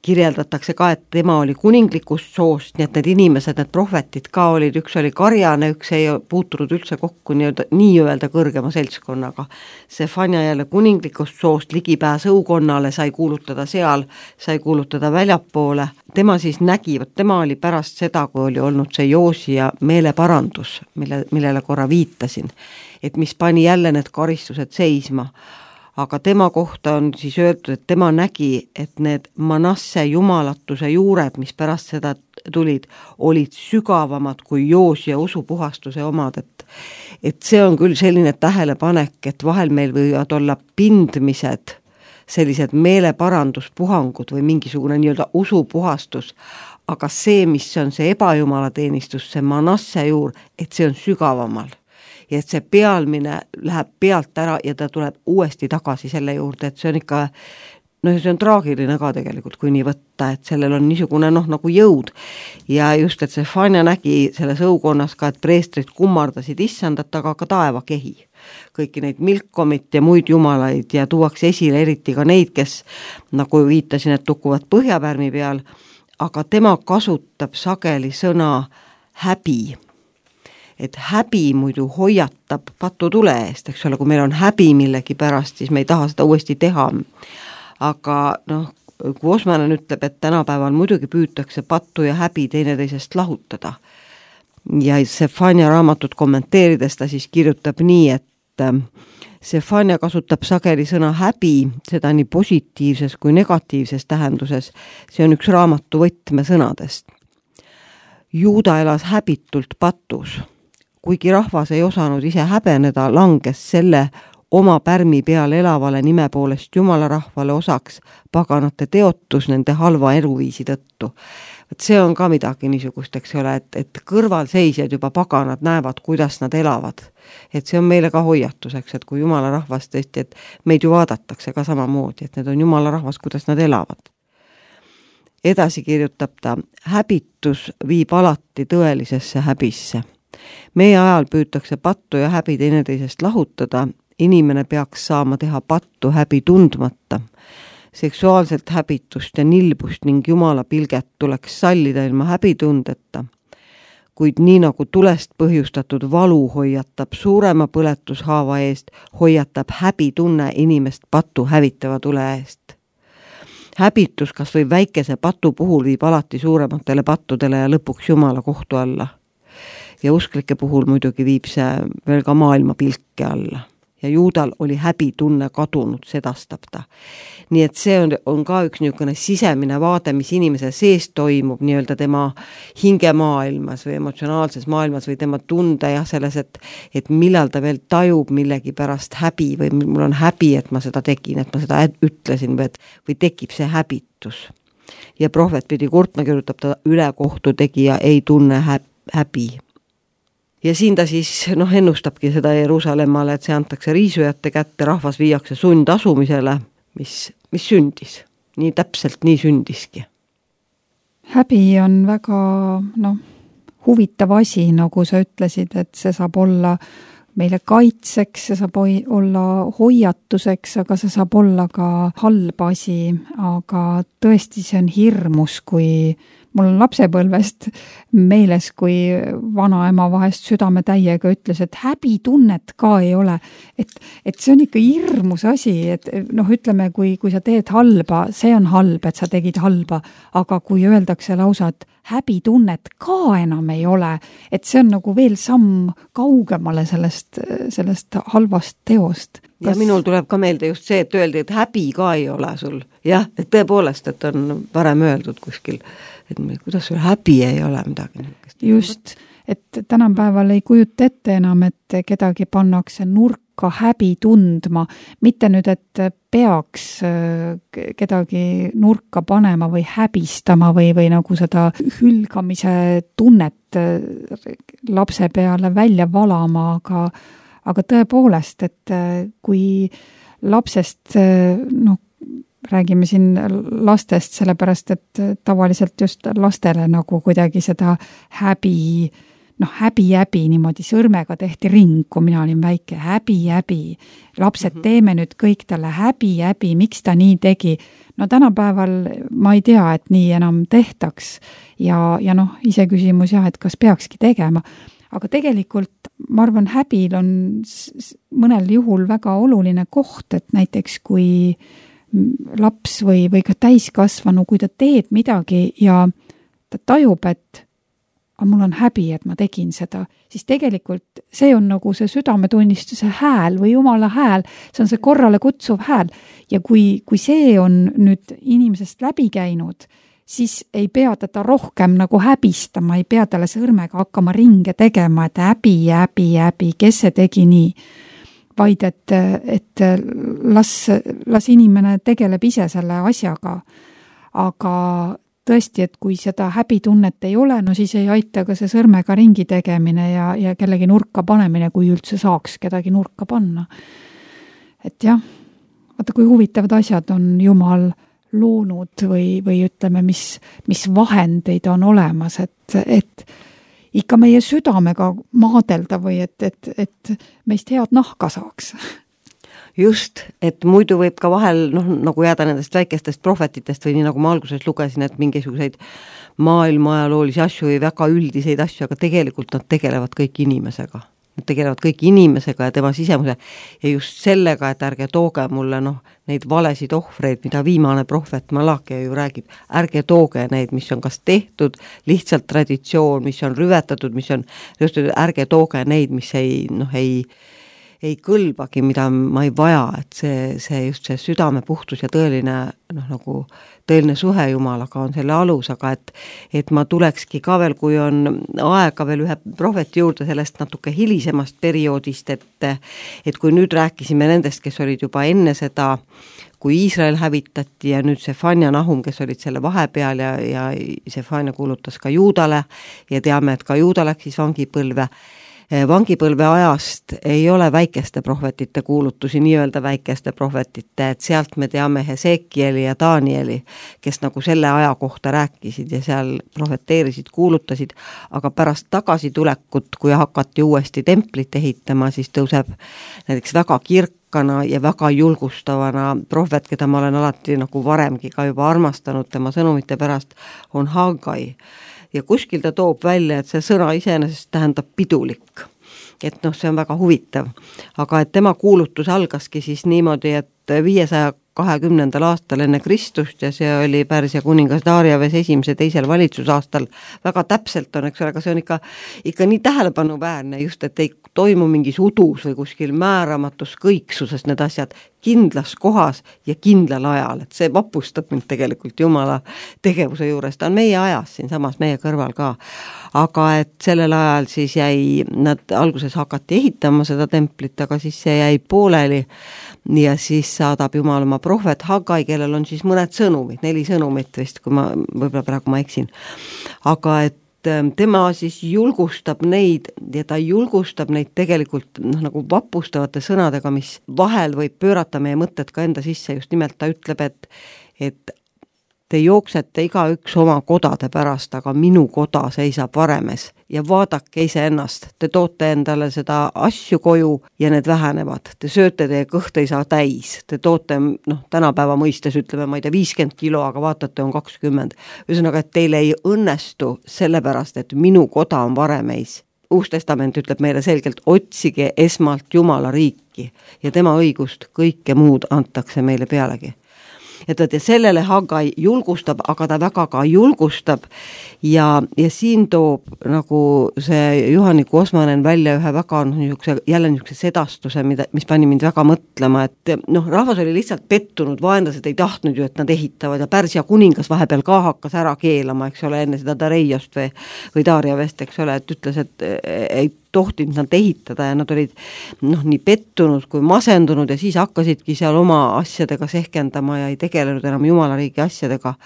Kirjeldatakse ka, et tema oli kuninglikust soost, nii et need inimesed, need prohvetid ka olid, üks oli karjane, üks ei puutunud üldse kokku nii-öelda kõrgema seltskonnaga. Sefania jälle kuninglikust soost ligipääs õukonnale sai kuulutada seal, sai kuulutada väljapoole. Tema siis nägi, tema oli pärast seda, kui oli olnud see Joosia meeleparandus, millele korra viitasin, et mis pani jälle need karistused seisma. aga tema kohta on siis öeldud, et tema nägi, et need Manasse jumalatuse juured, mis pärast seda tulid, olid sügavamad kui Joosia usupuhastuse omad, et see on küll selline tähelepanek, et vahel meil võivad olla pindmised, sellised meeleparanduspuhangud või mingisugune nii-öelda usupuhastus, aga see, mis on see ebajumalateenistus, see Manasse juur, et see on sügavamal. Ja et see pealmine läheb pealt ära ja ta tuleb uuesti tagasi selle juurde, et see on ikka, see on traagiline ka tegelikult, kui nii võtta, et sellel on niisugune nagu jõud. Ja just, et Sefania nägi selles õukonnas ka, et preestrid kummardasid issandat, aga ka taevakehi. Kõiki neid Milkomit ja muid jumalaid ja tuuakse esile eriti ka neid, kes, nagu viitasin, et tukuvad põhjapärmi peal, aga tema kasutab sageli sõna häbi. Et häbi muidu hoiatab patutule eest, eks ole, kui meil on häbi millegi pärast, siis me ei taha seda uuesti teha. Aga kui Osmanen ütleb, et tänapäeval muidugi püütakse pattu ja häbi teineteisest lahutada. Ja Sefania raamatut kommenteerides ta siis kirjutab nii, et Sefania kasutab sageli sõna häbi, seda nii positiivses kui negatiivses tähenduses. See on üks raamatu võtmesõnadest. Juuda elas häbitult patus. Kuigi rahvas ei osanud ise häbeneda, langes selle oma pärmi peal elavale nime poolest jumalarahvale osaks paganate teotus nende halva eluviisi tõttu. See on ka midagi niisugust, eks ole, et kõrvalseisjad juba paganad näevad, kuidas nad elavad. Et see on meile ka hoiatuseks, et kui jumalarahvas tõesti, et meid ju vaadatakse ka samamoodi, et need on jumalarahvas, kuidas nad elavad. Edasi kirjutab ta, häbitus viib alati tõelisesse häbisse. Meie ajal püütakse pattu ja häbi teineteisest lahutada, inimene peaks saama teha pattu häbi tundmata. Seksuaalselt häbitust ja nilbust ning jumala pilget tuleks sallida ilma häbitundeta. Kuid nii nagu tulest põhjustatud valu hoiatab suurema põletushaava eest, hoiatab häbitunne inimest pattu hävitava tule eest. Häbitus kas või väikese patu puhul viib alati suurematele pattudele ja lõpuks jumala kohtu alla. Ja usklike puhul muidugi viib see veel ka maailma pilke alla. Ja Juudal oli häbitunne kadunud, sedastab ta. Nii et see on ka üks niisugune sisemine vaade, mis inimese sees toimub nii-öelda tema hingemaailmas või emotsionaalses maailmas või tema tunde ja selles, et millal ta veel tajub millegi pärast häbi või mul on häbi, et ma seda tegin, et ma seda ütlesin või tekib see häbitus. Ja prohvet pidi kurtma, kirjutab ta ülekohtu tegija ei tunne häbi. Ja siin ta siis ennustabki seda Jeruusalemmale, et see antakse riisujate kätte, rahvas viiakse sundasumisele, mis sündis. Nii täpselt nii sündiski. Häbi on väga huvitav asi, nagu sa ütlesid, et see saab olla meile kaitseks, see saab olla hoiatuseks, aga see saab olla ka halb asi, aga tõesti see on hirmus, kui mul on lapsepõlvest meeles, kui vanaema vahest südame täiega ütles, et häbitunnet ka ei ole. Et see on ikka hirmus asi, et ütleme, kui sa teed halba, see on halb, et sa tegid halba, aga kui öeldakse lausa, et häbitunnet ka enam ei ole, et see on nagu veel samm kaugemale sellest halvast teost. Ja minul tuleb ka meelde just see, et öeldi, et häbi ka ei ole sul. Jah, et tõepoolest, et on varem öeldud kuskil, et kuidas sul häbi ei ole midagi. Just, et tänapäeval ei kujuta ette enam, et kedagi pannakse nurka häbi tundma, mitte nüüd, et peaks kedagi nurka panema või häbistama või nagu seda hülgamise tunnet lapse peale välja valama, aga tõepoolest, et kui lapsest, räägime siin lastest, sellepärast, et tavaliselt just lastele nagu kuidagi seda häbi niimoodi sõrmega tehti ring, kui mina olin väike, häbi. Lapsed teeme nüüd kõik talle häbi, miks ta nii tegi. Tänapäeval ma ei tea, et nii enam tehtaks ja ise küsimus et kas peakski tegema. Aga tegelikult ma arvan, häbil on mõnel juhul väga oluline koht, et näiteks kui laps või ka täiskasvanu, kui ta teeb midagi ja ta tajub, et aga mul on häbi, et ma tegin seda, siis tegelikult see on nagu see südametunnistuse hääl või Jumala hääl, see on see korrale kutsuv hääl. Ja kui see on nüüd inimesest läbi käinud, siis ei pea teda rohkem nagu häbistama, ei pea talle sõrmega hakkama ringe tegema, et häbi, kes see tegi nii. Vaid, et las inimene tegeleb ise selle asjaga. Aga tõesti, et kui seda häbitunnet ei ole, no siis ei aita ka see sõrmega ringi tegemine ja kellegi nurka panemine, kui üldse saaks kedagi nurka panna. Et jah, vaata kui huvitavad asjad on Jumal loonud või ütleme, mis vahendeid on olemas, et ikka meie südamega maadelda või et meist head nahka saaks. Just, et muidu võib ka vahel nagu jääda nendest väikestest prohvetitest või nii nagu ma alguses lugesin, et mingisuguseid maailma ajaloolisi asju või väga üldiseid asju, aga tegelikult nad tegelevad kõik inimesega. Nad tegelevad kõik inimesega ja tema sisemuse ja just sellega, et ärge tooge mulle neid valesid ohvreid, mida viimane prohvet Malakia ju räägib, ärge tooge neid, mis on kas tehtud, lihtsalt traditsioon, mis on rüvetatud, mis on, just ärge tooge neid, mis ei kõlbagi, mida ma ei vaja, et see just see südame puhtus ja tõeline tõeline suhe Jumalaga on selle alus, aga et ma tulekski ka veel, kui on aega veel ühe prohveti juurde sellest natuke hilisemast perioodist, et kui nüüd rääkisime nendest, kes olid juba enne seda, kui Iisrael hävitati ja nüüd Sefania Nahum, kes olid selle vahepeal ja Sefania kuulutas ka Juudale ja teame, et ka Juuda läks siis vangipõlve ajast ei ole väikeste prohvetite kuulutusi, nii-öelda väikeste prohvetite, et sealt me teame Hesekieli ja Danieli, kes nagu selle aja kohta rääkisid ja seal prohveteerisid, kuulutasid, aga pärast tagasitulekut, kui hakati uuesti templit ehitama, siis tõuseb näiteks väga kirkana ja väga julgustavana prohvet, keda ma olen alati nagu varemgi ka juba armastanud tema sõnumite pärast, on Haggai. Ja kuskil ta toob välja, et see sõna iseenesest tähendab pidulik. Et see on väga huvitav. Aga et tema kuulutus algaski siis niimoodi, et 520. aastal enne Kristust ja see oli Pärsia kuningas Dariaves 1. 2. valitsusaastal. Väga täpselt on, eks ole, aga see on ikka nii tähelepanuväärne just, et ei toimu mingis udus või kuskil määramatus kõiksuses need asjad kindlas kohas ja kindlal ajal, et see vapustab mind tegelikult Jumala tegevuse juures, ta on meie ajas siin samas meie kõrval ka, aga et sellel ajal siis nad alguses hakati ehitama seda templit, aga siis see jäi pooleli ja siis saadab Jumal oma prohvet Haggai, kellel on siis mõned sõnumid, 4 sõnumit vist, kui võib-olla praegu ma eksin, aga et tema siis julgustab neid ja ta julgustab neid tegelikult nagu vapustavate sõnadega, mis vahel võib pöörata meie mõtted ka enda sisse, just nimelt ta ütleb, et te jooksete igaüks oma kodade pärast, aga minu koda seisab varemes ja vaadake iseennast, te toote endale seda asju koju ja need vähenevad, te sööte, teie kõht ei saa täis, te toote, tänapäeva mõistes ütleme, ma ei tea, 50 kilo, aga vaatate on 20. Ühesõnaga, et teile ei õnnestu sellepärast, et minu koda on varemeis. Uus testament ütleb meile selgelt, otsige esmalt Jumala riiki ja tema õigust, kõike muud antakse meile pealegi. Et sellele Haggai julgustab, aga ta väga ka julgustab ja siin toob nagu see Juhani Kosmanen välja ühe väga jälle niisuguse sedastuse, mis pani mind väga mõtlema, et rahvas oli lihtsalt pettunud, vaenlased ei tahtnud ju, et nad ehitavad ja Pärsia kuningas vahepeal ka hakkas ära keelama, eks ole, enne seda Dareiost või Dariavest, eks ole, et ütles, et ei tohtinud nad ehitada ja nad olid nii pettunud kui masendunud ja siis hakkasidki seal oma asjadega sehkendama ja ei tegelenud enam Jumala riigi asjadega.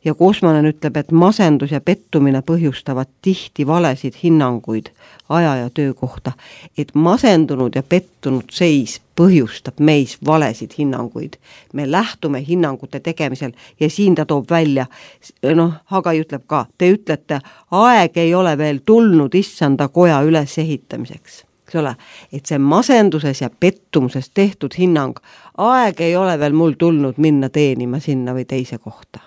Ja Kosmanen ütleb, et masendus ja pettumine põhjustavad tihti valesid hinnanguid aja ja töö kohta. Et masendunud ja pettunud seis põhjustab meis valesid hinnanguid. Me lähtume hinnangute tegemisel ja siin ta toob välja, Haggai ütleb ka, te ütlete, aeg ei ole veel tulnud issanda koja üles ehitamiseks. Eks ole, et see masenduses ja pettumuses tehtud hinnang, aeg ei ole veel mul tulnud minna teenima sinna või teise kohta.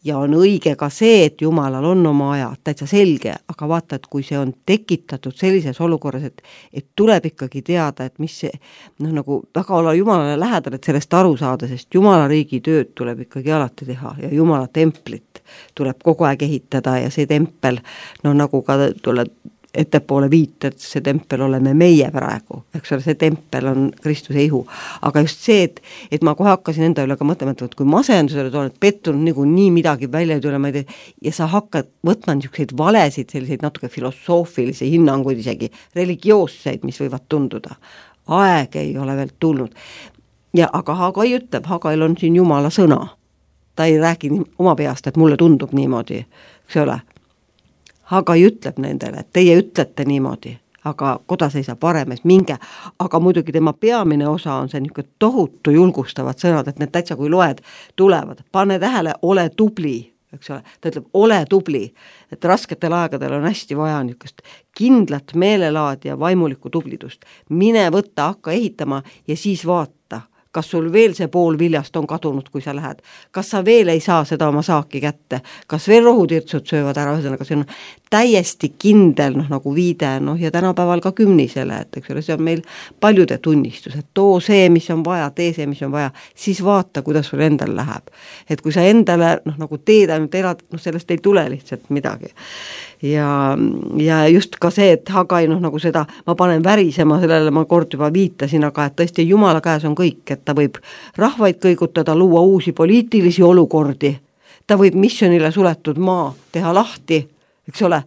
Ja on õige ka see, et Jumalal on oma aja, täitsa selge, aga vaata, et kui see on tekitatud sellises olukorras, et tuleb ikkagi teada, et mis see, nagu väga olla Jumalale lähedal, et sellest aru saada, sest Jumala riigi tööd tuleb ikkagi alati teha ja Jumala templit. tuleb kogu aeg ehitada ja see tempel, nagu ka tuleb ettepoole viited, see tempel oleme meie praegu, eks ole, see tempel on Kristuse ihu. Aga just see, et ma kohe hakkasin enda üle ka mõtlema, et kui masendusele oled pettunud nii midagi välja ei tule, ma ei tea, ja sa hakkad võtma niisuguseid valesid, selliseid natuke filosoofilisi hinnanguid, isegi religioosseid, mis võivad tunduda. Aeg ei ole veel tulnud. Ja aga Hagai ütleb, Hagail on siin Jumala sõna. Ta ei räägi oma peast, et mulle tundub niimoodi, eks ole. Hagai ütleb nendele, et teie ütlete niimoodi, aga koda seisab varemes, minge, aga muidugi tema peamine osa on see niisugune tohutu julgustavad sõnad, et need täitsa kui loed tulevad, pane tähele, ole tubli, eks ole, ta ütleb, ole tubli, et rasketel aegadel on hästi vaja niisugust kindlat meelelaad ja vaimulikku tublidust, mine võtta, hakka ehitama ja siis vaata, kas sul veel see pool viljast on kadunud, kui sa lähed, kas sa veel ei saa seda oma saaki kätte, kas veel rohutirtsud söövad ära, ühesõnaga see on täiesti kindel, nagu viide, ja tänapäeval ka kümnisele, et eks ole, see on meil paljude tunnistus, et too see, mis on vaja, tee see, mis on vaja, siis vaata, kuidas sul endal läheb. Et kui sa endale, nagu teed ainult elad, sellest ei tule lihtsalt midagi. Ja just ka see, et Hagai, nagu seda, ma panen värisema, sellele ma kord juba viitasin, aga et tõesti Jumala käes on kõik, et ta võib rahvaid kõigutada, luua uusi poliitilisi olukordi, ta võib missionile suletud maa teha lahti, eks ole,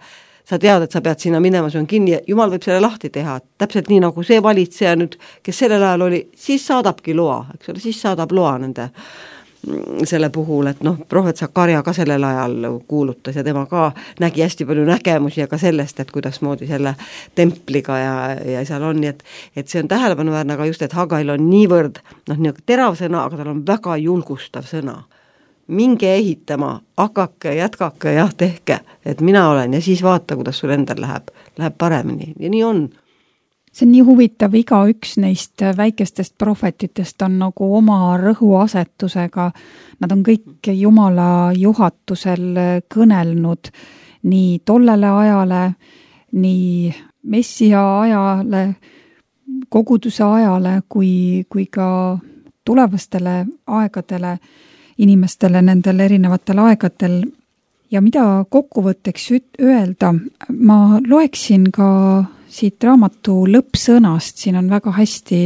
sa tead, et sa pead sinna minema, see on kinni ja Jumal võib selle lahti teha, täpselt nii nagu see valitseja nüüd, kes sellel ajal oli, siis saadabki loa, eks ole, siis saadab loa nende selle puhul, et prohvet Sakarja ka sellel ajal kuulutas ja tema ka nägi hästi palju nägemusi ja ka sellest, et kuidas moodi selle templiga ja seal on, nii et see on tähelepanuväärne, aga just, et Hagail on niivõrd terav sõna, aga tal on väga julgustav sõna. Minge ehitama, hakake, jätkake, jah, tehke, et mina olen ja siis vaata, kuidas sul endal läheb paremini ja nii on. See on nii huvitav, igaüks neist väikestest prohvetitest on nagu oma rõhuasetusega. Nad on kõik Jumala juhatusel kõnelnud nii tollele ajale, nii messia ajale, koguduse ajale kui ka tulevastele aegadele, inimestele nendel erinevatel aegadel. Ja mida kokkuvõtteks öelda, ma loeksin ka siit raamatu lõppsõnast, siin on väga hästi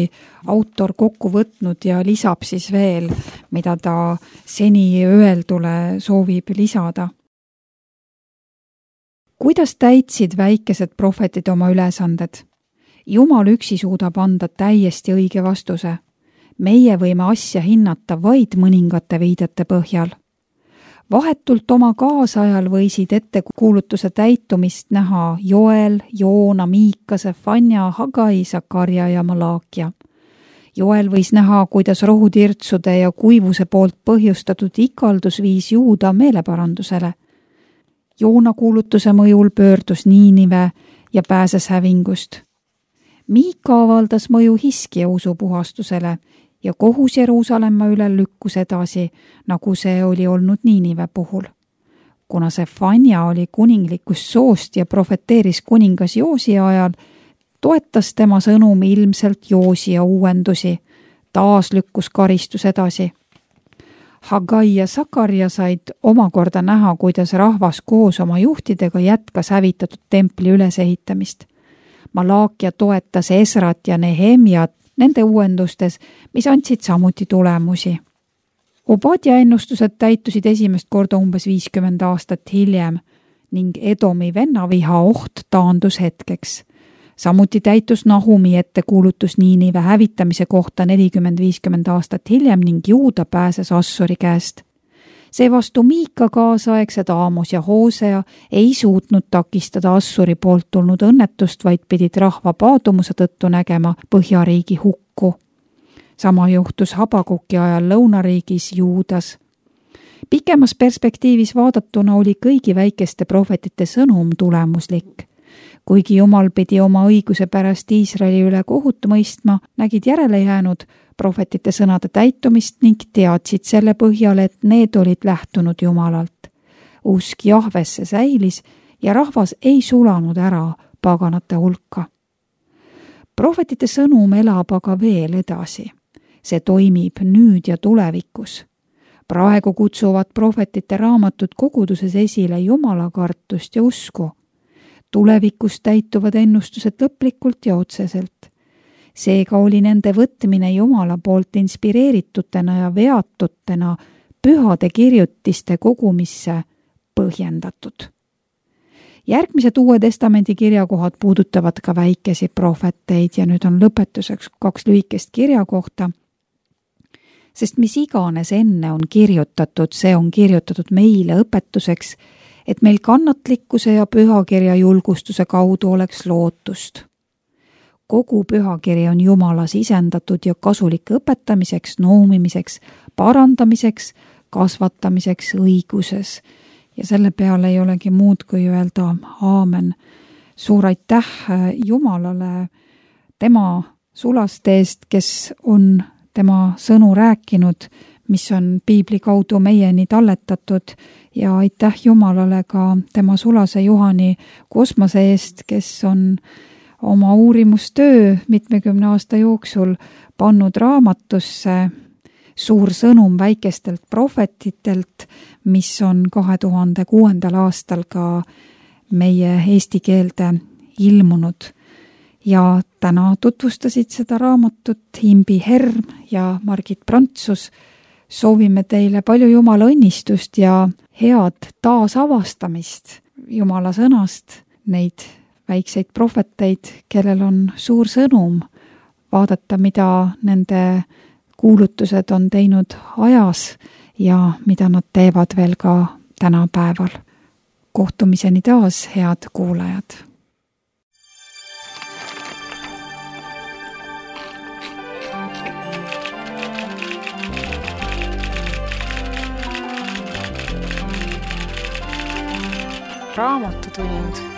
autor kokku võtnud ja lisab siis veel, mida ta seni öeldule soovib lisada. Kuidas täitsid väikesed prohvetid oma ülesanded? Jumal üksi suudab anda täiesti õige vastuse. Meie võime asja hinnata vaid mõningate viidete põhjal. Vahetult oma kaasajal võisid ettekuulutuse täitumist näha Joel, Joona, Miikase, Fanja, Hagai, Sakarja ja Malakia. Joel võis näha, kuidas rohutirtsude ja kuivuse poolt põhjustatud ikaldus viis Juuda meeleparandusele. Joona kuulutuse mõjul pöördus Niinive ja pääses hävingust. Miika avaldas mõju Hiskia usupuhastusele ja kohus Jeruusalemma üle lükkus edasi, nagu see oli olnud Niinive puhul. Kuna see Fanja oli kuninglikust soost ja profeteeris kuningas Joosia ajal, toetas tema sõnum ilmselt Joosia uuendusi, taas lükkus karistus edasi. Hagai ja Sakarja said omakorda näha, kuidas rahvas koos oma juhtidega jätkas hävitatud templi ülesehitamist. Malakia toetas Esrat ja Nehemiat nende uuendustes, mis andsid samuti tulemusi. Obadja ennustused täitusid esimest korda umbes 50 aastat hiljem ning Edomi vennaviha oht taandus hetkeks. Samuti täitus Nahumi ettekuulutus Niinive hävitamise kohta 40-50 aastat hiljem ning Juuda pääses Assuri käest. Seevastu Miika kaasaegsed Aamos ja Hoosea ei suutnud takistada Assuri poolt tulnud õnnetust, vaid pidid rahva paadumuse tõttu nägema Põhjariigi hukku. Sama juhtus Habakuki ajal lõunariigis Juudas. Pikemas perspektiivis vaadatuna oli kõigi väikeste prohvetite sõnum tulemuslik. Kuigi Jumal pidi oma õiguse pärast Iisraeli üle kohut mõistma, nägid järele jäänud prohvetite sõnade täitumist ning teadsid selle põhjal, et need olid lähtunud Jumalalt. Usk Jahvesse säilis ja rahvas ei sulanud ära paganate hulka. Prohvetite sõnum elab aga veel edasi. See toimib nüüd ja tulevikus. praegu kutsuvad prohvetite raamatud koguduses esile jumalakartust ja usku. Tulevikus täituvad ennustused lõplikult ja otseselt. Seega oli nende võtmine Jumala poolt inspireeritutena ja veatutena pühade kirjutiste kogumisse põhjendatud. Järgmised Uue Testamendi kirjakohad puudutavad ka väikesi prohveteid ja nüüd on lõpetuseks 2 lühikest kirjakohta, sest mis iganes enne on kirjutatud, see on kirjutatud meile õpetuseks, et meil kannatlikkuse ja pühakirja julgustuse kaudu oleks lootust. Kogu pühakiri on Jumala sisendatud ja kasulik õpetamiseks, noomimiseks, parandamiseks, kasvatamiseks õiguses. Ja selle peale ei olegi muud kui öelda aamen. Suur aitäh Jumalale tema sulaste eest, kes on tema sõnu rääkinud, mis on piibli kaudu meieni talletatud ja aitäh Jumalale ka tema sulase Juhani Kosmase eest, kes on oma uurimustöö 70 aasta jooksul pannud raamatusse suur sõnum väikestelt prohvetitelt, mis on 2006. aastal ka meie eesti keelde ilmunud. Ja täna tutvustasid seda raamatut Imbi Herm ja Margit Prantsus. Soovime teile palju Jumala õnnistust ja head taasavastamist Jumala sõnast, neid väikseid prohveteid, kellel on suur sõnum, vaadata, mida nende kuulutused on teinud ajas ja mida nad teevad veel ka tänapäeval. Kohtumiseni taas, head kuulajad! Raamatutund.